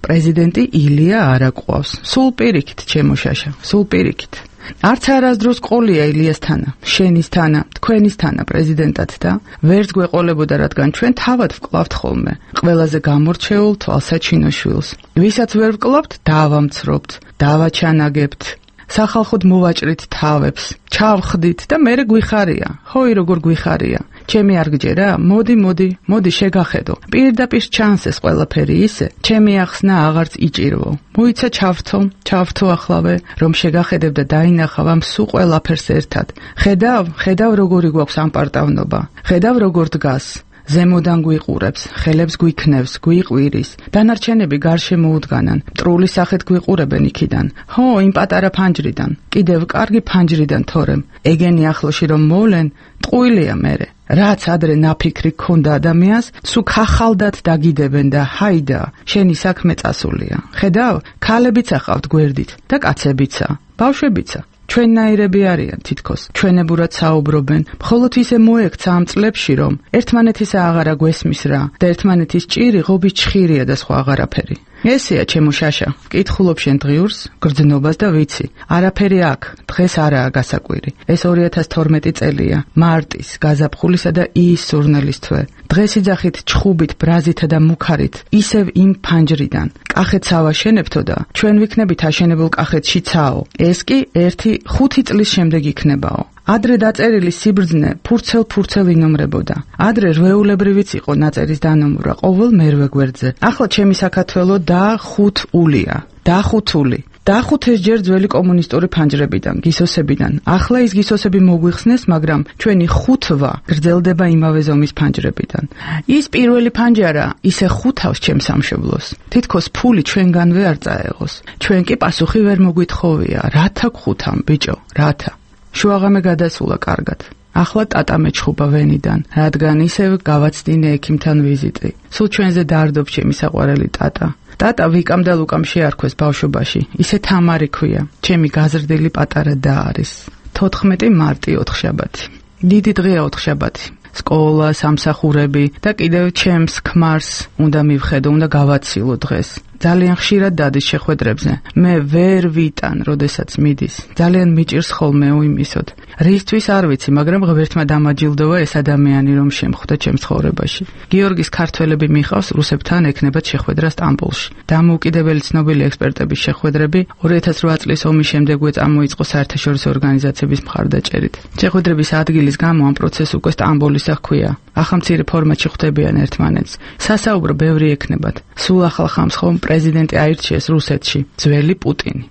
პრეზიდენტი ილია არ აყვავს. სულ პირიქით, ჩემო შაშა, სულ პირიქით. არც არასდროს ყოლია ილიას თანა, შენის თანა, თქვენის თანა პრეზიდენტად და ვერც გვეყოლებოდა, რადგან ჩვენ თავად ვკლავთ ხოლმე ყველაზე გამორჩეულ თვალსაჩინო შვილს. ვისაც ვერ ვკლავთ, დავამცრობთ, დავაჩანაგებთ. სახალხოდ მოვაჭრით თავებს, ჩავხდით და მერე გვიხარია. ჰოი როგორ გვიხარია. ჩემი არ გჯერა? მოდი შეგახედო. პირდაპირ ჩანს ეს ყველაფერი ისე, ჩემი ახსნა აღარც იჭირვო. მოიცა ჩავთო ახლავე, რომ შეგახედებ და დაინახავ ამ სულ ყველაფერს ერთად. ხედავ როგორი გვაქვს ამ პარტავნობა. ხედავ როგორ დგას. ზემოდან გვიყურებს, ხელებს გვიქნევს, გვიყვირის. დანარჩენები გარშე მოუდგანან, მტრული სახით გვიყურებენ იქიდან. ჰო, იმ პატარა ფანჯრიდან, კიდევ კარგი ფანჯრიდან თორემ. ეგენი ახლოში რომ მოვლენ, ტყუილია მერე. რაც ადრე ნაფიქრი ქონდა ადამიანს, სულ ხახალდათ დაგიდებენ და ჰაიდა, შენი საქმე წასულია. ხედავ, ქალებიც ახავთ გვერდით და კაცებიცა, ბავშვებიცა. ჩვენნაირები არიან თითქოს, ჩვენებურად საუბრობენ, მხოლოდ ისე მოექცა ამ წლებში, რომ ერთმანეთისა აღარა გვესმის რა და ერთმანეთის ჭირი ღობის ჩხირია და სხვა აღარაფერი. ესეა ჩემო შაშა, ვკითხულობ შენ დღიურს, გრძნობას და ვიცი. არაფერი აქ, დღეს არაა გასაკვირი. ეს 2012 წელია, მარტის, გაზაფხულისა და იის სურნელის თვე. დღეს იძახით ჩხუბით, ბრაზითა და მუქარით, ისევ იმ ფანჯრიდან. კახეთს ავაშენებთო და ჩვენ ვიქნებით აშენებულ კახეთში ცაო. ეს კი 1-5 წლის შემდეგ იქნებაო. ადრე დაწერილი სიბრძნე ფურცელ ინომრებოდა. ადრე რვეულებრივიც იყო ნაწერის დანომრვა ყოველ მერვე გვერდზე. ახლა ჩემი საქართველო დახუთულია. დახუთული. დახუთეს ჯერ ძველი კომუნისტური ფანჯრებიდან, გისოსებიდან. ახლა ის გისოსები მოგვიხსნეს, მაგრამ ჩვენი ხუთვა გრძელდება იმავე ზომის ფანჯრებიდან. ის პირველი ფანჯარა ისე ხუთავს ჩემს სამშობლოს. თითქოს ფული ჩვენგანვე არ წაეღოს. ჩვენ კი პასუხი ვერ მოგვითხოვია. რათა გხუთამ, ბიჭო, რათა. შუაღამე გადასულა კარგად. ახლა ტატა მეჩხუბა ვენიდან, რადგან ისევ გავაცდინე ექიმთან ვიზიტი. სულ ჩვენზე დაარდობს ჩემი საყვარელი ტატა. ტატა ვიკამ და ლუკამ შეარქვეს ბავშვობაში. ისე თამარი ქვია. ჩემი გაზრდილი პატარა და არის. 14 მარტი ოთხშაბათი. დიდი დღეა ოთხშაბათი. სკოლა, სამსახურები და კიდევ ჩემს ქმარს უნდა მივხედო, უნდა გავაცილო დღეს. ძალიან ხშირად დადის შეხვედრებზე. მე ვერ ვიტან, როდესაც მიდის. ძალიან მიჭირს ხოლმე უიმისოდ. რისთვის არ ვიცი, მაგრამ ღმერთმა დამაჯილდოვა ეს ადამიანი, რომ შემხვდა ჩემს ცხოვრებაში. გიორგის ქართველები მიყავს რუსებთან ექნებათ შეხვედრა სტამბოლში. დამოუკიდებელი ცნობილი ექსპერტების შეხვედრები 2008 წლის ომის შემდეგვე წამოიწყო საერთაშორისო ორგანიზაციების მხარდაჭერით. შეხვედრების ადგილის გამო ამ პროცესს უკვე სტამბოლისა ჰქვია. ახალმცირე ფორმატში ხვდებიან ერთმანეთს. სასაუბრო ბევრი ექნებათ. სულ ახალ ხამს ხომ პრეზიდენტი აირჩიეს რუსეთში, ძველი პუტინი.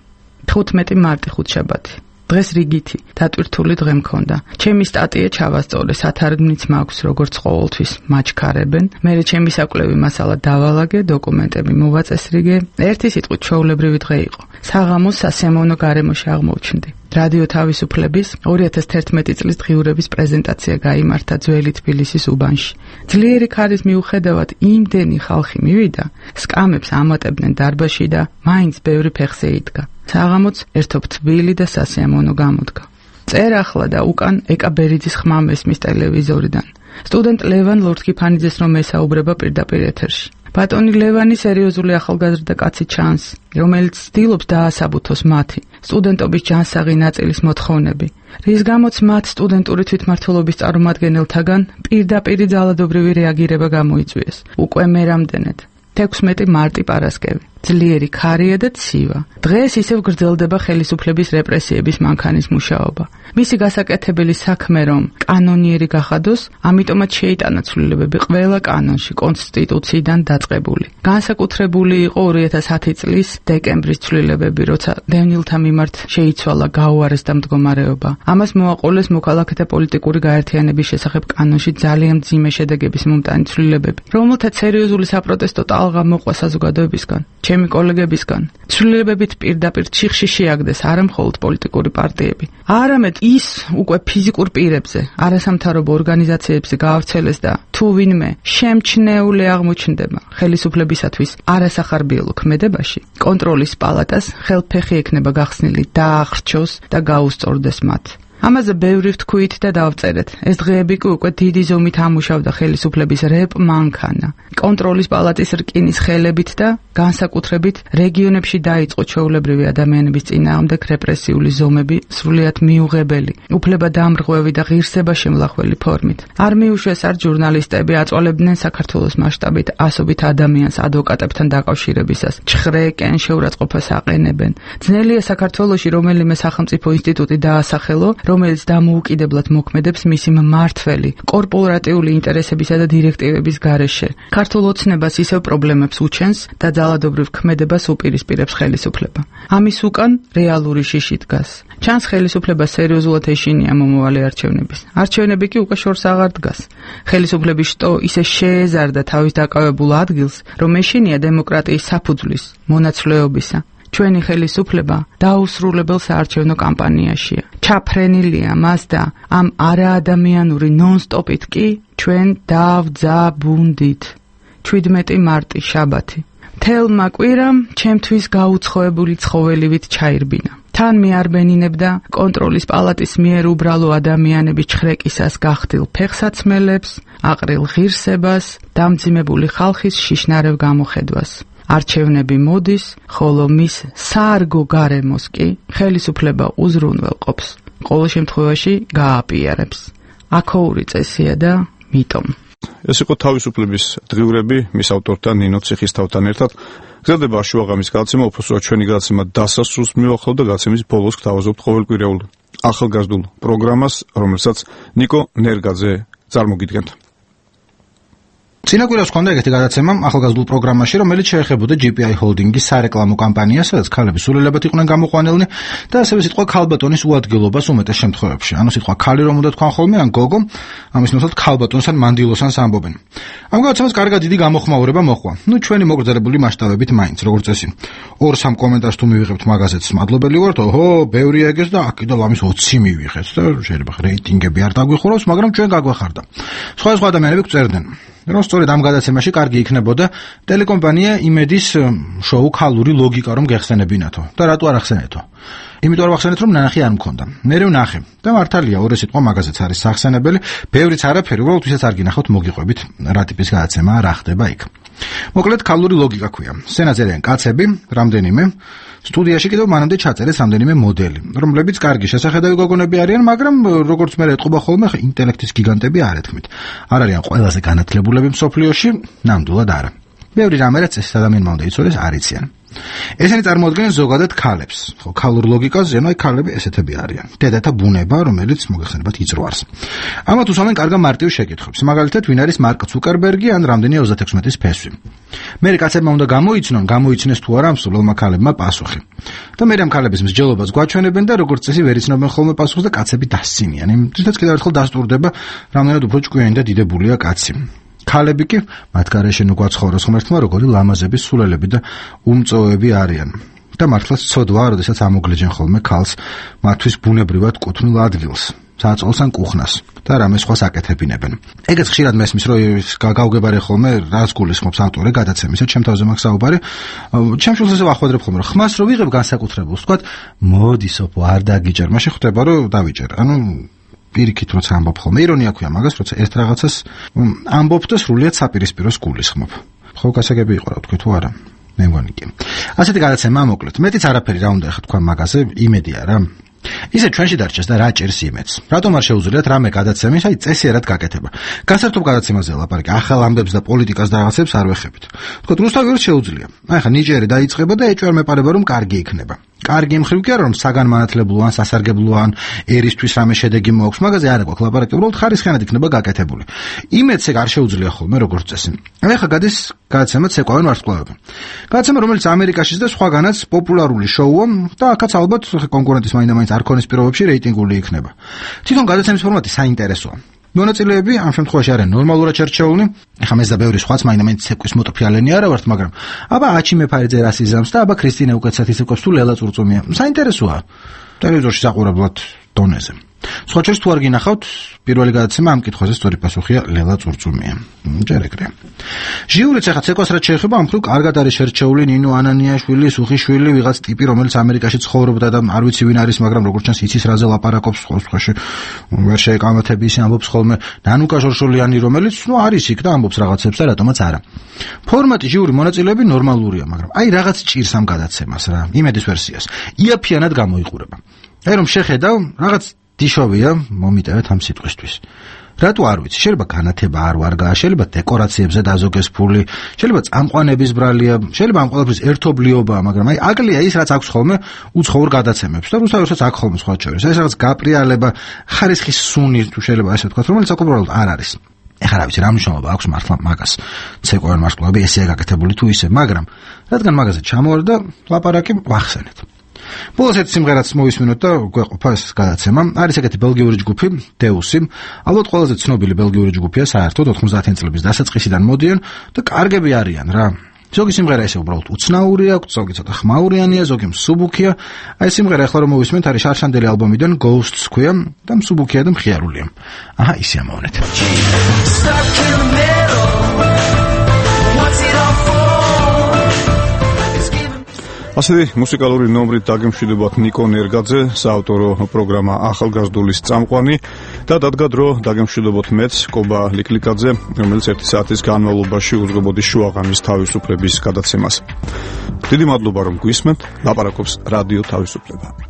15 მარტი ხუთშაბათი. დღეს რიგითი, დატვირთული დღე მქონდა. ჩემი სტატია ჩავასწორე, სათარგმნიც მაქვს, როგორც ყოველთვის მაჩქარებენ. მერე ჩემი საკვლევი მასალა დავალაგე, დოკუმენტები მოვაწესრიგე. ერთი სიტყვით ჩვეულებრივი დღე იყო. საღამოს სასიამოვნო გარემოში აღმოჩნდი. რადიო თავისუფლების 2011 წლის დღიურების პრეზენტაცია გაიმართა ძველი თბილისის უბანში. ძლიერი ქარის მიუხედავად იმდენი ხალხი მივიდა, სკამებს ამატებდნენ დარბაზში და მაინც ბევრი ფეხზე იდგა. საღამოც ერთობ თბილი და სასიამოვნო გამოდგა. წერახლა და უკან ეკა ბერიძის ხმა მესმის ტელევიზორიდან. სტუდენტ ლევან ლორთქიფანიძეს რომ ესაუბრება პირდაპირ ეთერში. ბატონი ლევანი სერიოზული ახალგაზრდა კაცი ჩანს, რომელიც ცდილობს დაასაბუთოს მათი სტუდენტობის ჯანსაღი ნაწილის მოთხოვნები, რის გამოც მათ სტუდენტური თვითმმართველობის წარმომადგენელთაგან პირდაპირი ძალადობრივი რეაგირება გამოიწვიეს. უკვე მე რამდენად 16 მარტი პარასკევი. ძლიერი ქარია და ცივა. დღეს ისევ გრძელდება ხელისუფლების რეპრესიების მანქანის მუშაობა. მისი გასაკეთებელი საქმე რომ კანონიერი გახადოს, ამიტომაც შეიტანა ცვლილებები ყველა კანონში კონსტიტუციიდან დაწყებული. განსაკუთრებული იყო 2010 წლის დეკემბრის ცვლილებები, როცა დევნილთა მიმართ შეიცვალა გაუარესდა მდგომარეობა. ამას მოაყოლეს მოქალაქეთა პოლიტიკური გაერთიანების შესახებ კანონში ძალიან მძიმე შედეგების მომტანი ცვლილებები, რომელთაც სერიოზული საპროტესტო ტალღა მოყვა საზოგადოებისგან. ჩემი კოლეგებისგან. ცვლილებებით პირდაპირ ჩიხში შეაგდეს არა მხოლოდ პოლიტიკური პარტიები, არამედ ის უკვე ფიზიკურ პირებზე, არასამთავრობო ორგანიზაციებზე გაავრცელეს და თუ ვინმე შემჩნეული აღმოჩნდება ხელისუფლებისათვის არასახარბიელო ქმედებაში, კონტროლის პალატას ხელფეხი ექნება გახსნილი დაახრჩოს და გაუსწორდეს მათ. ამაზე ბევრი ვთქვით და დავწერეთ. ეს დღეები კი უკვე დიდი ზომით ამუშავდა ხელისუფლების რეპ მანქანა. კონტროლის პალატის რკინის ხელებით და განსაკუთრებით რეგიონებში დაიწყო ჩვეულებრივი ადამიანების წინააღმდეგ რეპრესიული ზომები სრულიად მიუღებელი, უფლებადამრღვევი და ღირსება შემლახველი ფორმით. არ მიუშვეს არ ჟურნალისტები აწვალებდნენ საქართველოს მასშტაბით ასობით ადამიანს ადვოკატებთან დაკავშირებისას. ჩხრეკენ შეურაცხყოფას აყენებენ. ძნელია საქართველოში რომელიმე სახელმწიფო ინსტიტუტი დაასახელო, რომელიც დამოუკიდებლად მოქმედებს მისი მმართველი, კორპორატიული ინტერესებისა და დირექტივების გარეშე. ქართულ ოცნებას ისევ პრობლემებს უჩენს და ძალადობრივ ქმედებას უპირისპირებს ხელისუფლება. ამის უკან რეალური შიში დგას. ჩანს ხელისუფლება სერიოზულად ეშინია მომავალი არჩევნების. არჩევნები კი უკვე შორს აღარ დგას. ხელისუფლების შტო ისე შეეზარდა თავის დაკავებულ ადგილს, რომ ეშინია დემოკრატიის საფუძვლის, მონაცვლეობისა. ჩვენი ხელისუფლება დაუსრულებელ საარჩევნო კამპანიაშია. ჩაფრენილია მას და ამ არაადამიანური ნონ-სტოპით კი ჩვენ დავძაბუნდით. 17 მარტი შაბათი. თელმა კვირამ ჩემთვის გაუცხოებული ცხოველივით ჩაირბინა. თან მიარბენინებდა კონტროლის პალატის მიერ უბრალო ადამიანების ჩხრეკისას გახდილ ფეხსაცმელებს, აყრილ ღირსებას, დამძიმებული ხალხის შიშნარევ გამოხედვას. არჩევნები მოდის, ხოლო მის საარგო გარემოს კი ხელისუფლება უზრუნველყოფს. ყოველ შემთხვევაში გააპიარებს. აქოური წესია და მიტომ. ეს იყო თავისუფლების დღიურები მის ავტორთან ნინო ციხისთავთან ერთად. გრძელდება შუაღამის გადაცემა, უბრალოდ ჩვენი გადაცემა დასასრულს მივახლავთ და გადაცემის ბოლოს გთავაზობთ ყოველკვირეულ ახალგაზრდულ პროგრამას, რომელსაც ნიკო ნერგაძე წარმოგიდგენთ. წინა კვირას ჰქონდა ეგეთი გადაცემა ახალგაზრდულ პროგრამაში, რომელიც შეეხებოდა GPI ჰოლდინგის სარეკლამო კამპანიას, სადაც ქალები სულელებად იყვნენ გამოყვანილნი და ასევე სიტყვა ქალბატონის უადგილობას უმეტეს შემთხვევებში. ანუ სიტყვა ქალი რომ უნდა თქვან ხოლმე, ან გოგო, ამის ნაცვლად ქალბატონს ან მანდილოსანს ამბობენ. ამ გადაცემას კარგად დიდი გამოხმაურება მოჰყვა. ჩვენი მოგრძალებული მასშტაბებით მაინც, როგორც წესი. 2-3 კომენტარს თუ მივიღებთ მაგაზეთს, მადლობელი ვართ. ოჰო, ბევრი ეგეს და აქ კიდევ ამის 20 მივიღეთ და შეიძლება რეიტინგები არ დაგვიხურავს, მაგრამ ჩვენ გაგვეხარდა. სხვა ადამიანები გწერდნენ. რომ სწორედ ამ გადაცემაში კარგი იქნებოდა ტელეკომპანია იმედის შოუ ქალური ლოგიკა რომ გეხსენებინათო და რატო არ ახსენეთო. იმიტომ რომ ახსენეთ რომ ნანახი არ მქონდა. მე ვნახე და მართალია ორი სიტყვა მაგაზეც არის სახსენებელი, ბევრიც არაფერი, უბრალოდ ვისაც არ გინახავთ მოგიყვებით რა ტიპის გადაცემაა, რა ხდება იქ. მოკლედ ქალური ლოგიკა ქვია. სცენაზე არიან კაცები, რამდენიმე სტუდიაში კიდევ მანამდე ჩაწერეს რამდენიმე მოდელი, რომლებიც კარგი შესახედავი გოგონები არიან, მაგრამ როგორც მე ეტყობა ხოლმე, ინტელექტის გიგანტები არ ეთქმით. არ არიან ყველაზე განათლებულები მსოფლიოში, ნამდვილად არა. ბევრი რამე რაც ეს ადამიანმა უნდა იცოდეს, არ იციან. ესენი წარმოადგენენ ზოგადად ქალებს. ხო, ქალურ ლოგიკაზე, ანუ ქალები ესეთები არიან. დედათა ბუნება, რომელიც მოგეხსენებათ იწროარს. ამათ უსვამენ კარგ მარტივ შეკითხვებს. მაგალითად, ვინ არის მარკ ცუკერბერგი ან რამდენია 36-ის ფესვი. მე კაცებმა უნდა გამოიცნეს თუ არა ამ სულელმა ქალებმა პასუხი. და მე ამ ქალების მსჯელობას გვაჩვენებენ და როგორც წესი ვერ იცნობენ ხოლმე პასუხს და კაცები დასცინიან. იმითაც კიდევ ერთხელ დასტურდება, რამდენად უფრო ჭკვიანი და დიდებულია კაცი. ქალები კი მათ გარეშე გვაცხოვროს ღმერთმა როგორი ლამაზების სულელები და უმწოვები არიან. და მართლაც ცოდვაა, როდესაც ამოგლეჯენ ხოლმე ქალს მათთვის ბუნებრივად კუთვნილ ადგილს, საწოლს ან კუხნას და რამე სხვა საკეთებინებენ. ეგეც ხშირად მესმის, რომ გავგებარე ხოლმე რას გულისხმობს ავტორი გადაცემისა, ჩემ თავზე მაქვს საუბარი. ჩემ შულს ესე ვახვედრებ ხოლმე, რომ ხმას რო ვიღებ განსაკუთრებულს, თქვათ, მოდი სოფო, არ დაგიჭერ, მაშინ ხვდება, რომ დავიჭერ. ანუ პირიქით როცა ამბობ ხოლმე, ირონია ქვია მაგას, როცა ერთ რაღაცას ამბობ და სრულიად საპირისპიროს გულისხმობ. ხო, გასაგები იყო რა თქვი თუ არა? მე მგონი კი. ასეთი გადაცემა მოკლედ. მეტიც არაფერი რა უნდა ახლა თქვა მაგაზე, იმედია რა. ისე ჩვენში დარჩეს და რა ჭერს იმედს. რატომ არ შეუძლიათ რამე გადაცემის, აი წესიერად გაკეთება. გასართობ გადაცემაზე ლაპარაკი, ახალ ამბებს და პოლიტიკას და რაღაცებს არ ვეხებით. თქო, რუსთავი შეუძლია. აი ხა ნიჭიერი დაიწყება და ეჭვარ მეპარება რომ კარგი იქნება. კარგი მხრივ კი არა რომ საგანმანათლებლო ან სასარგებლო ან ერისთვის რამე შედეგი მოაქვს, მაგაზე არ აქვს ლაპარაკი, უბრალოდ ხარისხიანად იქნება გაკეთებული. იმედს ეგ არ შეუძლია ხოლმე როგორც წესი. აი ხა გადის გადაცემა ცეკვავენ ვარსკვლავები. გადაცემა რომელიც ამერიკაშიც და სხვაგანაც პოპულარული შოუა და აქაც ალბათ კონკურენტის მაინდა-მაინც არ ქონის პირობებში რეიტინგული იქნება. თვითონ გადაცემის ფორმატი საინტერესოა. მონაწილეები ამ შემთხვევაში არიან ნორმალურად შერჩეული. ეხლა მეც და ბევრი სხვაც მაინდა-მაინც ცეკვის მოტოფიალენი არა ვართ, მაგრამ აბა აჩი მეფარეძე რას იზამს და აბა ქრისტინე უკეთესად ისეკობს თუ ლელა წურწუმია. საინტერესოა. ტელევიზორში საყურებლად დონეზე. სხვა შორის თუ არ გინახავთ, პირველი გადაცემა ამ კითხვაზე სწორი პასუხია ლელა წურწუმია. ჯერ ეგრე. ჟიურიც ახლა ცეკვას რაც შეეხება, ამ მხრივ კარგად არის შერჩეული ნინო ანანიაშვილი, სუხიშვილი, ვიღაც ტიპი, რომელიც ამერიკაში ცხოვრობდა და არ ვიცი ვინ არის, მაგრამ როგორც ჩანს იცის რაზე ლაპარაკობს, სხვაში ვერ შეეკამათები ისე ამბობს ხოლმე. ნანუკა ჟორჟოლიანი, რომელიც არის იქ და ამბობს რაღაცებს და რატომაც არა. ფორმატი ჟიური მონაწილეები ნორმალურია, მაგრამ აი რაღაც ჭირს ამ გადაცემას რა, იმედის ვერსიას. იაფიანად გამოიყურება. აი რომ შეხედავ, რაღაც დიშოვია, მომიტევეთ ამ სიტყვისთვის. რატო არ ვიცი, შეიძლება განათება არ ვარგაა, შეიძლება დეკორაციებზე დაზოგეს ფული, შეიძლება წამყვანების ბრალია, შეიძლება ამ ყველაფრის ერთობლიობაა, მაგრამ აი აკლია ის რაც აქვს ხოლმე უცხოურ გადაცემებს და რუსთაველსაც აქ ხოლმე სხვა შორის. ეს რაღაც გაპრიალება, ხარისხის სუნი თუ შეიძლება ესე ვთქვათ, რომელიც უბრალოდ არ არის. ეხლა რა ვიცი, რა მნიშვნელობა აქვს მართლა მაგას. ცეკვავენ მარშკლები ესეა გაკეთებული თუ ისე, მაგრამ რადგან მაგაზე ჩამოვარდა ლაპარაკი ვახსენეთ. ბოლოს ერთ სიმღერაც მოვისმინოთ და გვეყოფა ეს გადაცემა. არის ეგეთი ბელგიური ჯგუფი, დეუსი. ალბათ ყველაზე ცნობილი ბელგიური ჯგუფია საერთოდ 90-იან წლების დასაწყისიდან მოდიან და კარგები არიან რა. ზოგი სიმღერა ესე უბრალოდ უცნაური აქვს, ზოგი ცოტა ხმაურიანია, ზოგი მსუბუქია. აი სიმღერა ახლა რომ მოვისმენთ არის შარშანდელი ალბომიდან Ghosts ქვია და მსუბუქია და მხიარულია. აჰა, ისე ამოვნეთ. ასეთი მუსიკალური ნომრით დაგემშვიდობათ ნიკო ნერგაძე, საავტორო პროგრამა ახალგაზრდულის წამყვანი და დადგა დრო დაგემშვიდობოთ მეც კობა ლიკლიკაძე, რომელიც 1 საათის განმავლობაში უძღვებოდი შუაღამის თავისუფლების გადაცემას. დიდი მადლობა რომ გვისმენთ, ლაპარაკობს რადიო თავისუფლება.